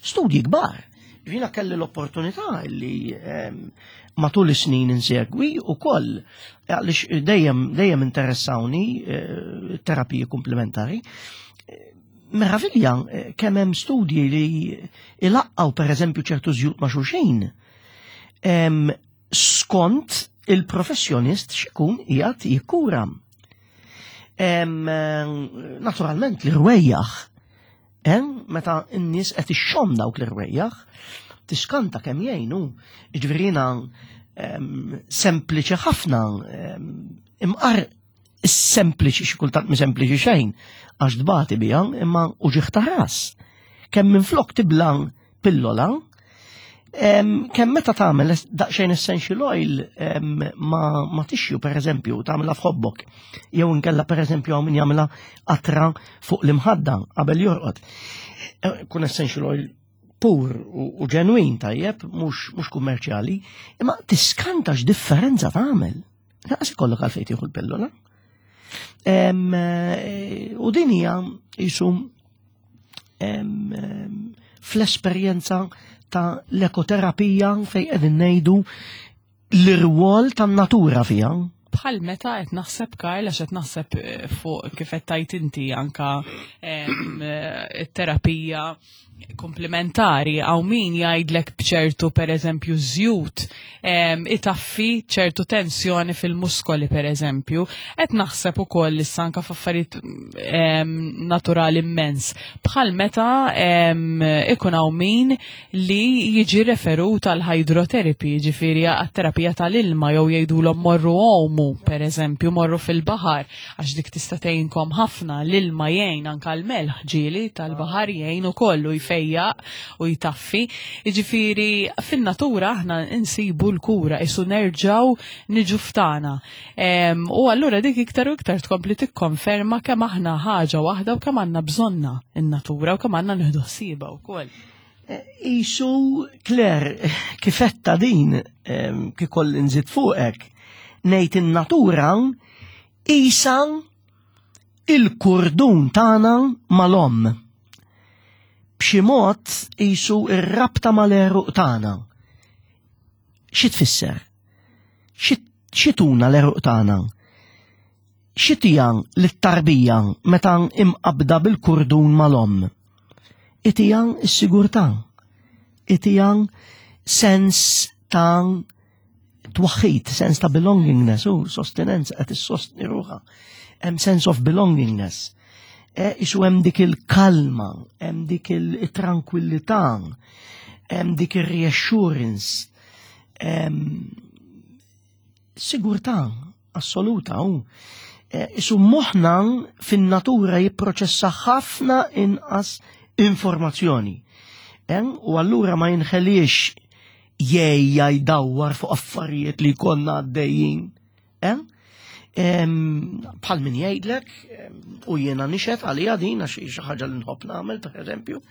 Studji kbar. Jiena kelli l-opportunità li matul is-snin insegwi u koll, għaliex dejjem dejjem interessawni terapiji komplementari. Meravilja kemm hemm studji li ilaqqaw per eżempju ċertu żjut ma' xulxin skont il-professjonist x'ikun qiegħed jikkura. Naturalment l-irwejjaħ, meta n-nies qed ixxomm dawk l-irwejjaħ, tiskanta kemm jgħinu. Jiġifieri jiena sempliċi ħafna, imqar sempliċi xi kultant mi sempliċi xejn, għax tbati biha, imma uġigħ ta' ras. Kemm minflok tibla pillola, kemm meta tagħmel daqsxejn essential oil ma, ma tixju per eżempju, tagħmilha f'ħobbok, jew inkella per eżempju hawn min jagħmilha qatra fuq l-imħadda qabel jorqod. Kun essential oil pur u ġenwin tajjeb, mhux kummerċjali, imma tiskanta x'differenza tagħmel. Lanqas ikollok għalfejn tieħu l-pillola. U din hija qisu fl-esperjenza ta' l-ekoterapija fejn qegħdin ngħidu l-irwol tan-natura fiha. Bħal meta qed naħseb Karl, għax qed naħseb fuq kif qed tajt inti anka it-terapija komplementari, għaw min jgħidlek bċertu per eżempju żjut itaffi ċertu tensjoni fil-muskoli per eżempju, qed naħseb ukoll issa anka f'affarijiet naturali immens. Bħal meta ikun hawn min li jiġi referut għal hydrotherapy, ġifieri għat-terapija tal-ilma, jew jgħidulhom morru għomu. Għumu, per eżempju, morru fil-baħar, għax dik tista' tgħinkom ħafna. L-ilma jgħin, anka l-melħ ġieli tal-baħar jgħin ukoll u jfejjaq u jtaffi. Jiġifieri fin-natura aħna nsibu l-kura, isu nerġgħu niġu ftana. Em, U allura dik iktar u iktar tkompli tikkonferma kemm aħna ħaġa waħda u kemm għandna bżonna in-natura u kemm għandna nieħdu ħsiebha wkoll. Isu, Claire, kif għedtha din, em, kieku nżid fuqek, ngħid in-natura isa il-kurdun tagħna mal-omm. B'xi mod isu ir-rabta mal-għeruq tagħna. Xi tfisser? Xi x'tuna l-għeruq tagħna? Xi ttiha lit-tarbija meta imqabda bil-kurdun mal-omm? Ittiha s-sigurtà, ittiha sens ta' twaħħid, sens ta' belongingness, u sostenenza, qed issostni ruħha. Hemm sense of belongingness. E, isu hemm dik il-kalma, hemm dik il-tranquillità, hemm dik il-reassurance, hemm sigurtà assoluta. U e, isu moħħna fin-natura jipproċessa ħafna inqas informazzjoni. En, u allura ma jinħeliex jgħejja jdawwar fuq affarijiet li konna għaddejjin. En? Em, Bħal min jgħidlek, em, u jiena nixhed għalija din, għax xi ħaġa li nħobb nagħmel, per eżempju,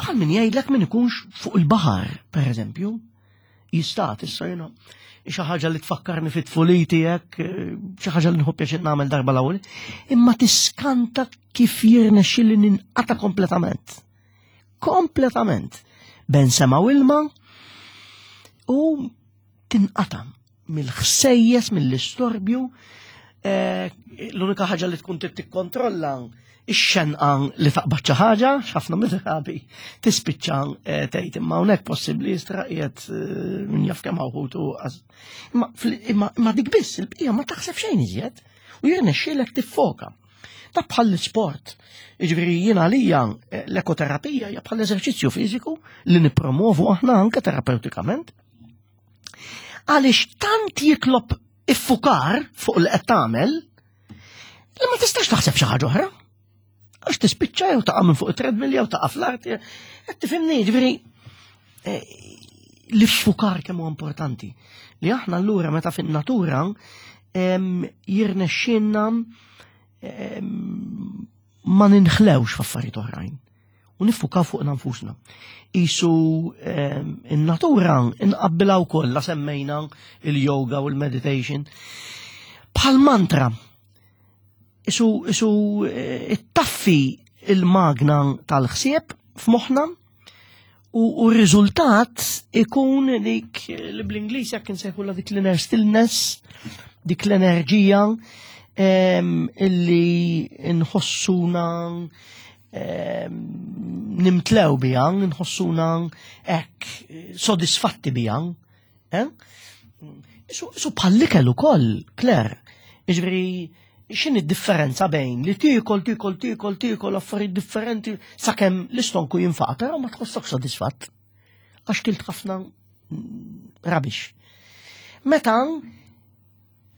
bħal min jgħidlek min ikunx fuq il-baħar, per eżempju, jistat issa jiena xi ħaġa li tfakkarni fit-tfuliti hekk, eh, xi ħaġa li nħobb pjaċir nagħmel darba l-ewwel, imma tiskanta kif jirnexxili ninqata kompletament. Kompletament. Bejn sema u ilma u tinqata mill-ħsejjes, mill-istorbju, eh, l-unika ħaġa li tkun trid tikkontrolla ix-xenqa li taqbad xi ħaġa, ħafna mid-drabi tispiċċa eh, tgħid imma hawnhekk possibbli jistra qiegħed eh, min jaf kemm hawn ħutu. Imma fl- imma imma dik biss, il-bqija ma taħseb xejn iżjed u jirnexxielek tiffoka. Ta' bħal l-sport. Jiġifieri jiena għalija eh, l-ekoterapija hija bħal eżerċizzju fiżiku li nippromovu aħna anke terapeutikament. Għaliex tant jitlob iffukar fuq li qed tagħmel li ma tistax taħseb xi ħaġa oħra. Għax tispiċċa jew taqa' minn fuq it-treadmill jew taqa' fl-art. Qed tifhimni, ġifieri eh, l-iffukar kemm huwa importanti. Li aħna allura meta fin-natura em, jirnexxielna em, ma ninħlewx f'affarijiet oħrajn. U niffukaw fuq nfusna. Isu em, in-natura inqabbilha wkoll la semmejna il-yoga u l-meditation. Bħal mantra. Isu, isu eh, ittaffi il-magna tal-ħsieb f'moħħna u, u r-riżultat ikun dik li bl-Ingliż jekk insejħulha dik l-inner stillness, dik l-enerġija em, illi nħossuna em, nimtlew biha, nħossuna hekk sodisfatti biha. Eh? Isu, isu bħall-ikel ukoll, Claire. Jiġifieri, x'inhi d-differenza bejn li tiekol, tiekol, tiekol, tiekol affarijiet differenti sakemm l-istonku jinfaq, però ma tħossok sodisfatt? Għax kilt ħafna mm, rubbish. Meta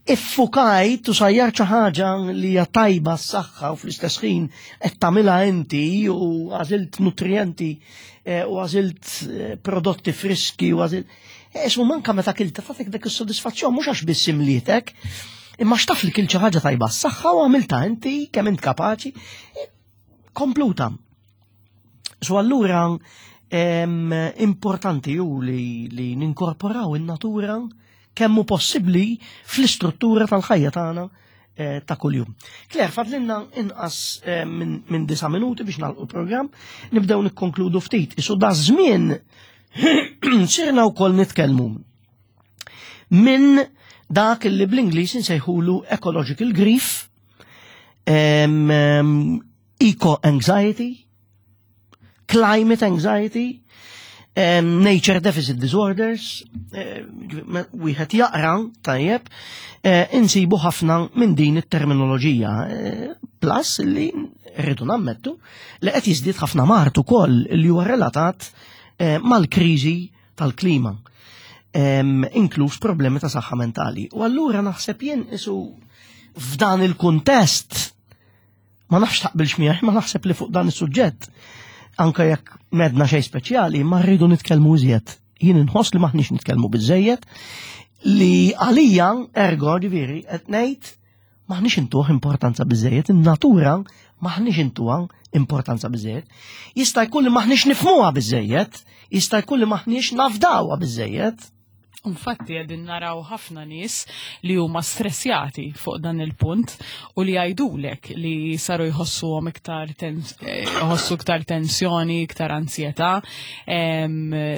iffukajt u sajjar xi ħaġa li hija tajba s-saħħa u fl-istess ħin qed tagħmilha inti u għażilt nutrienti eh, u għażilt eh, prodotti friski u għażilt. Ismu manka meta kilta tagħtik dak is-sodisfazzjon mhux għax biss imlietek, imma x'taf li kilt xi ħaġa tajba s-saħħa u għamilta inti kemm int kapaċi. eh, Kompluta. So allura em, importanti ju li, li ninkorporaw in-natura kemm hu possibbli fl-istruttura tal-ħajja tagħna eh, ta' kuljum. Claire, fadlinna inqas eh, minn min disa' minuti biex nagħlqu l-programm, nibdew nikkonkludu ftit. Isu da żmien sirna wkoll nitkellmu minn dak li bl-Ingliż insejħulu ecological grief, em, em, eco-anxiety, climate anxiety, um, nature deficit disorders, eh, wieħed jaqra tajjeb, eh, insibu ħafna minn din it-terminoloġija. Eh, plus li rridu nammettu li qed jiżdied ħafna mard ukoll li huwa relatat eh, mal-kriżi tal-klima. Inkluż problemi ta' saħħa mentali. U allura naħseb jien isu f'dan il-kuntest, ma nafx taqbilx miegħi, ma naħseb li fuq dan is-suġġett, anke jekk m'għedna xejn speċjali, ma rridu nitkellmu iżjed. Jien inħoss li maħniex nitkellmu biżejjed, li għalija ergo ġifieri qed ngħid maħniex intuh importanza biżejjed, in-natura maħniex intuha importanza biżejjed. Jista' jkun li maħniex nifhmuha biżejjed, jista' jkun li maħniex nafdawha biżejjed. Infatti qegħdin naraw ħafna nies li huma stressjati fuq dan il-punt u li jgħidulek li saru jħossuhom iktar eh, jħossu iktar tensjoni, iktar ansjetà.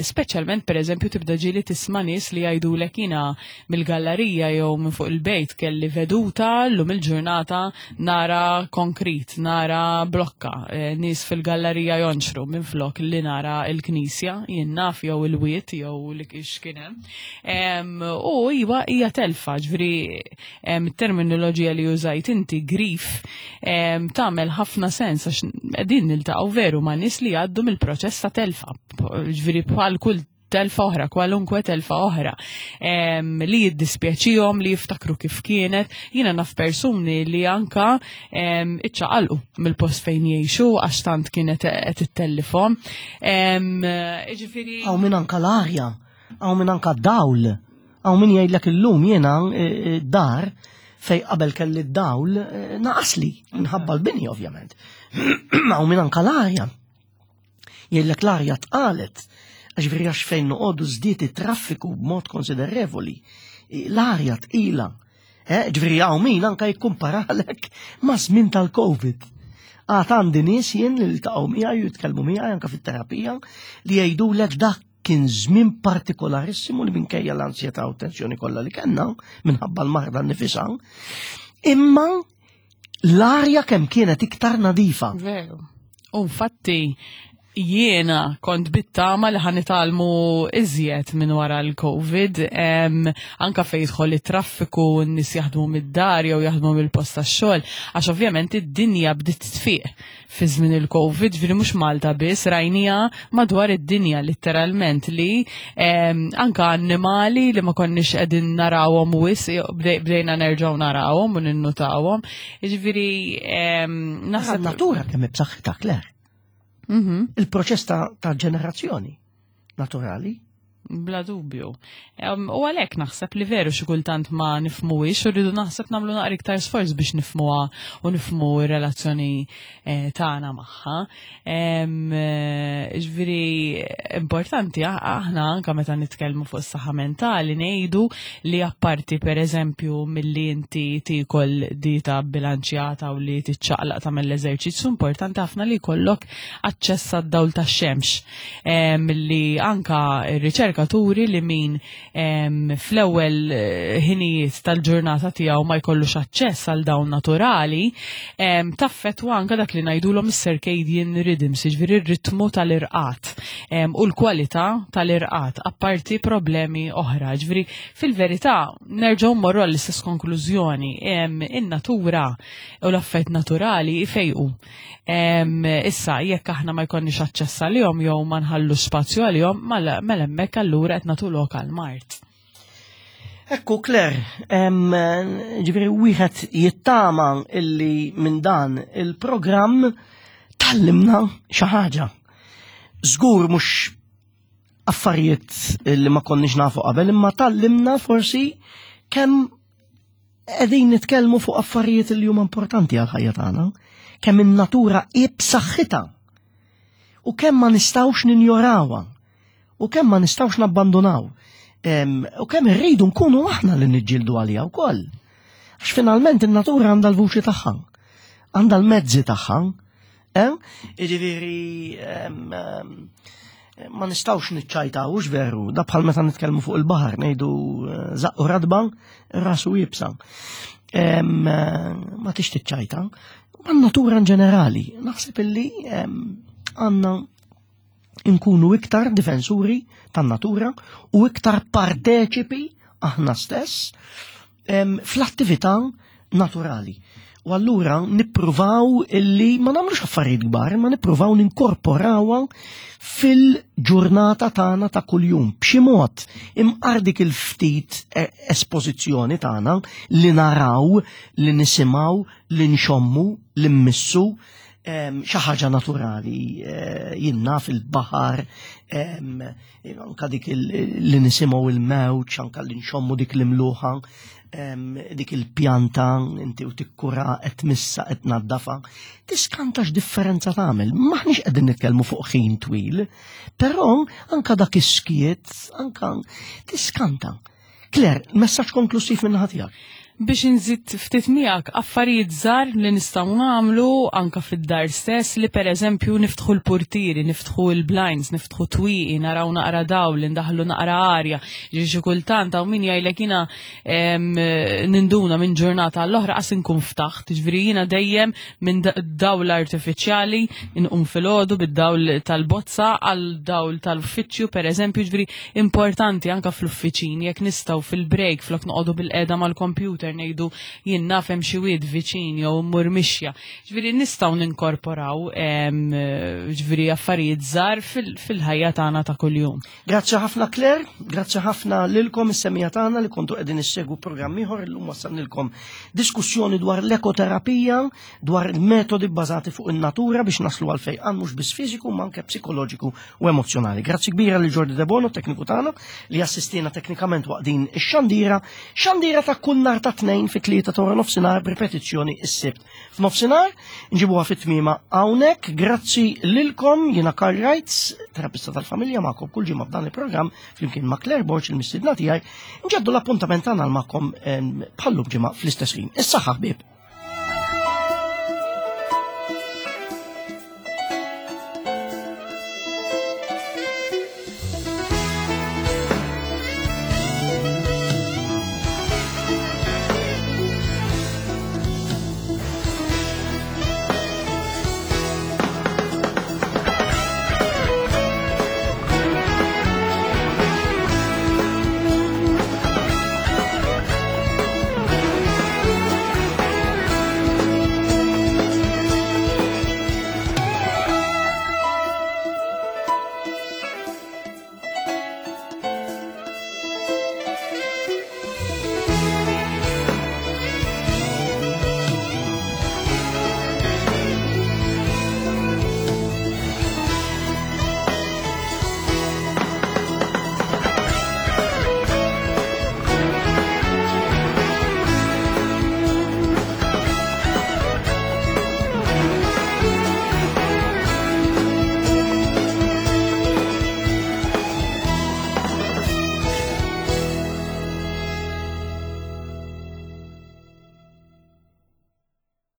Speċjalment pereżempju tibda ġieli tisma' nies li jgħidulek jiena mill-gallerija jew minn fuq il-bejt kelli veduta llum il-ġurnata nara konkrit, nara blokka, eh, nies fil-gallerija jonxru minn flok li nara il-knisja, jien naf jew il-wiet jew li x'kien hemm. U iwa hija telfa, ġifieri terminoloġija li użajt inti grief tagħmel ħafna sens għax qegħdin niltaqgħu veru ma' nies li jgħaddu mill-proċess ta' telfa, ġifieri bħal kull telfa oħra, kwalunkwe telfa oħra, li jiddispjaċihom, li jiftakru kif kienet. Jiena naf persuni li anka iċċaqalqu mill-post fejn jgħixu għax tant kienet qed ittellifhom. Ġifieri Hawn min anka l-arja, hawn min anka dawl, hawn min jgħidlek illum jiena eh, eh, dar fej qabel kelli d-dawl eh, naqasli, minħabba l-bini ovvjament. Hawn min anka l-arja. Jgħidlek l-arja tqalet, għax għax fejn noqogħdu żdied it-traffiku b'mod konsiderevoli. L-arja tqila. Ġifieri hawn min anka jikkumparalek ma' żmien tal-Covid. Għad għandi nies jien li ltaqgħu miegħi u jitkellmu miegħi anka fit-terapija li jgħidulek dak kien żmien partikolarissimu li minkejja l-ansjetà u tensjoni kollha li kellna minħabba l-marda nnifisha, imma l-arja kemm kienet iktar nadifa. Veru. U infatti jiena kont bit-tama li ħa nitgħallmu iżjed minn wara l-Covid, anka fejn jidħol it-traffiku, n-nies jaħdmu mid-dar jew jaħdmu mill-post tax-xogħol, għax ovvjament id-dinja bdiet tfiq fi żmien il-Covid, ġifieri mhux Malta biss, rajnija madwar id-dinja letteralment li anka annimali li ma konniex qegħdin narawhom wisq bdejna nerġgħu narawhom u ninnutawhom. Ġifieri naħseb natura kemm b'saħħitha Claire. Mhm. Il-proċess ta' ġenerazzjoni naturali. Bla dubju. U għalhekk naħseb li veru xi kultant ma nifhmuhiex u rridu naħseb nagħmlu naqra iktar sforz biex nifhmuha u nifhmu r-relazzjoni eh, tagħna magħha. Eh, ġifieri importanti aħna anke meta nitkellmu fuq is-saħħa mentali ngħidu li apparti pereżempju milli inti tiekol dieta bilanċjata u li tiċċaqlaq tagħmel l-eżerċizzju, importanti ħafna li jkollok aċċess għad-dawl tax-xemx. Li anka r-riċerka turi li min fl-ewwel eh, ħinijiet tal-ġurnata tiegħu ma jkollux aċċess għal dawn naturali, taffettwa anka dak li ngħidulhom is-circadian rhythms, jiġifieri r-ritmu tal-irqat u l-kwalità tal-irqat, apparti problemi oħra. Ġifieri fil-verità nerġgħu mmorru għall-istess konklużjoni, in-natura u l-affett naturali ifejqu. Issa jekk aħna ma jkollniex aċċess għalihom jew ma nħallux spazju għalihom, mela hemmhekk allura qed nagħtu lok għall-mard. Ekku, Claire, ġifieri wieħed jittama illi minn dan il-programm tgħallimna xi ħaġa. Żgur mhux affarijiet li ma konniex nafu qabel, imma tgħallimna forsi kemm qegħdin nitkellmu fuq affarijiet li huma importanti għal-ħajja tagħna, kemm in-natura hi b'saħħitha u kemm ma nistgħux ninjorawha u kemm ma nistgħux nabbandunaw. U kemm irridu nkunu aħna li niġġieldu għaliha wkoll. Għax finalment in-natura għandha l-vuċi tagħha, għandha l-mezzi tagħha. Jiġifieri ma nistgħux niċċajtaw, hux veru, da bħal meta nitkellmu fuq il-baħar ngħidu eh, żaqqu radba, rasu iebsa. Ma tix tiċċajta. Ma natura in ġenerali, naħseb illi għandna nkunu iktar difensuri tan-natura u iktar parteċipi aħna stess fl-attività naturali. U allura nippruvaw illi ma nagħmlux affarijiet kbar, ma nippruvaw ninkorporawha fil-ġurnata tagħna ta' kuljum. B'xi mod imqar dik il-ftit e- espożizzjoni tagħna li naraw, li nisimgħu, li nxommu, li mmissu, em, xi ħaġa naturali, eh, jiena fil-baħar, em, anka dik il- li nisimgħu il-mewġ, anka li nxommu dik l-imluħa, em, dik il-pjanta inti u tikkura qed tmissha, qed tnaddafa. Tiskanta x'differenza tagħmel. Maħniex qegħdin nitkellmu fuq ħin twil, però anka dak is-skiet, anka tiskanta. Claire, messaġġ konklusiv minn naħa tiegħek. Biex nżid ftit miegħek, affarijiet żgħar li nistgħu nagħmlu anka fid-dar stess, li pereżempju niftħu l-purtieri, niftħu l-blinds, niftħu twieqi, naraw naqra dawl, ndaħlu naqra arja. Ġi xi kultant hawn min jgħidlek, "Jiena em, ninduna minn ġurnata għall-oħra qas inkun ftaħt." Ġifieri jiena dejjem minn da- dawl artifiċjali inqum filgħodu bid-dawl tal-bozza għal dawl tal-uffiċċju pereżempju. Ġifieri importanti anka fl-uffiċini jekk nistgħu fil-break, flok noqogħdu bil-qeda mal-computer, ngħidu, "Jien naf hemm xi wied viċin," jew mmur mixja. Ġifieri nistgħu ninkorporaw em, ġifieri affarijiet żgħar fil- fil-ħajja tagħna ta' kuljum. Grazzi ħafna, Claire, grazzi ħafna lilkom is-semmiegħa tagħna li kontu qegħdin issegwu programm ieħor. Illum wassalnilkom diskussjoni dwar l-ekoterapija, dwar il-metodi bbażati fuq in-natura biex naslu għal fejqan mhux biss fiżiku ma anke psikoloġiku u emozjonali. Grazzi kbira lil Jordi De Bono, tekniku tagħna, li assistina teknikament waqt din ix-xandira, xandira ta' kull nhar ta' Tnejn fi tlieta ta' nofsinhar, b'ripetizzjoni is-Sibt. F'nofsinhar nġibuha fit-tmiema hawnhekk. Grazzi lilkom, jiena Karl Reitz, terapista tal-familja, magħkom kull ġimgħa f'dan il-programm flimkien ma' Claire Borg, il-mistiedna tiegħi. Nġeddu l-appuntament tagħna magħkom bħallum ġimgħa fl-istess ħin. Is-saħħa, ħbieb.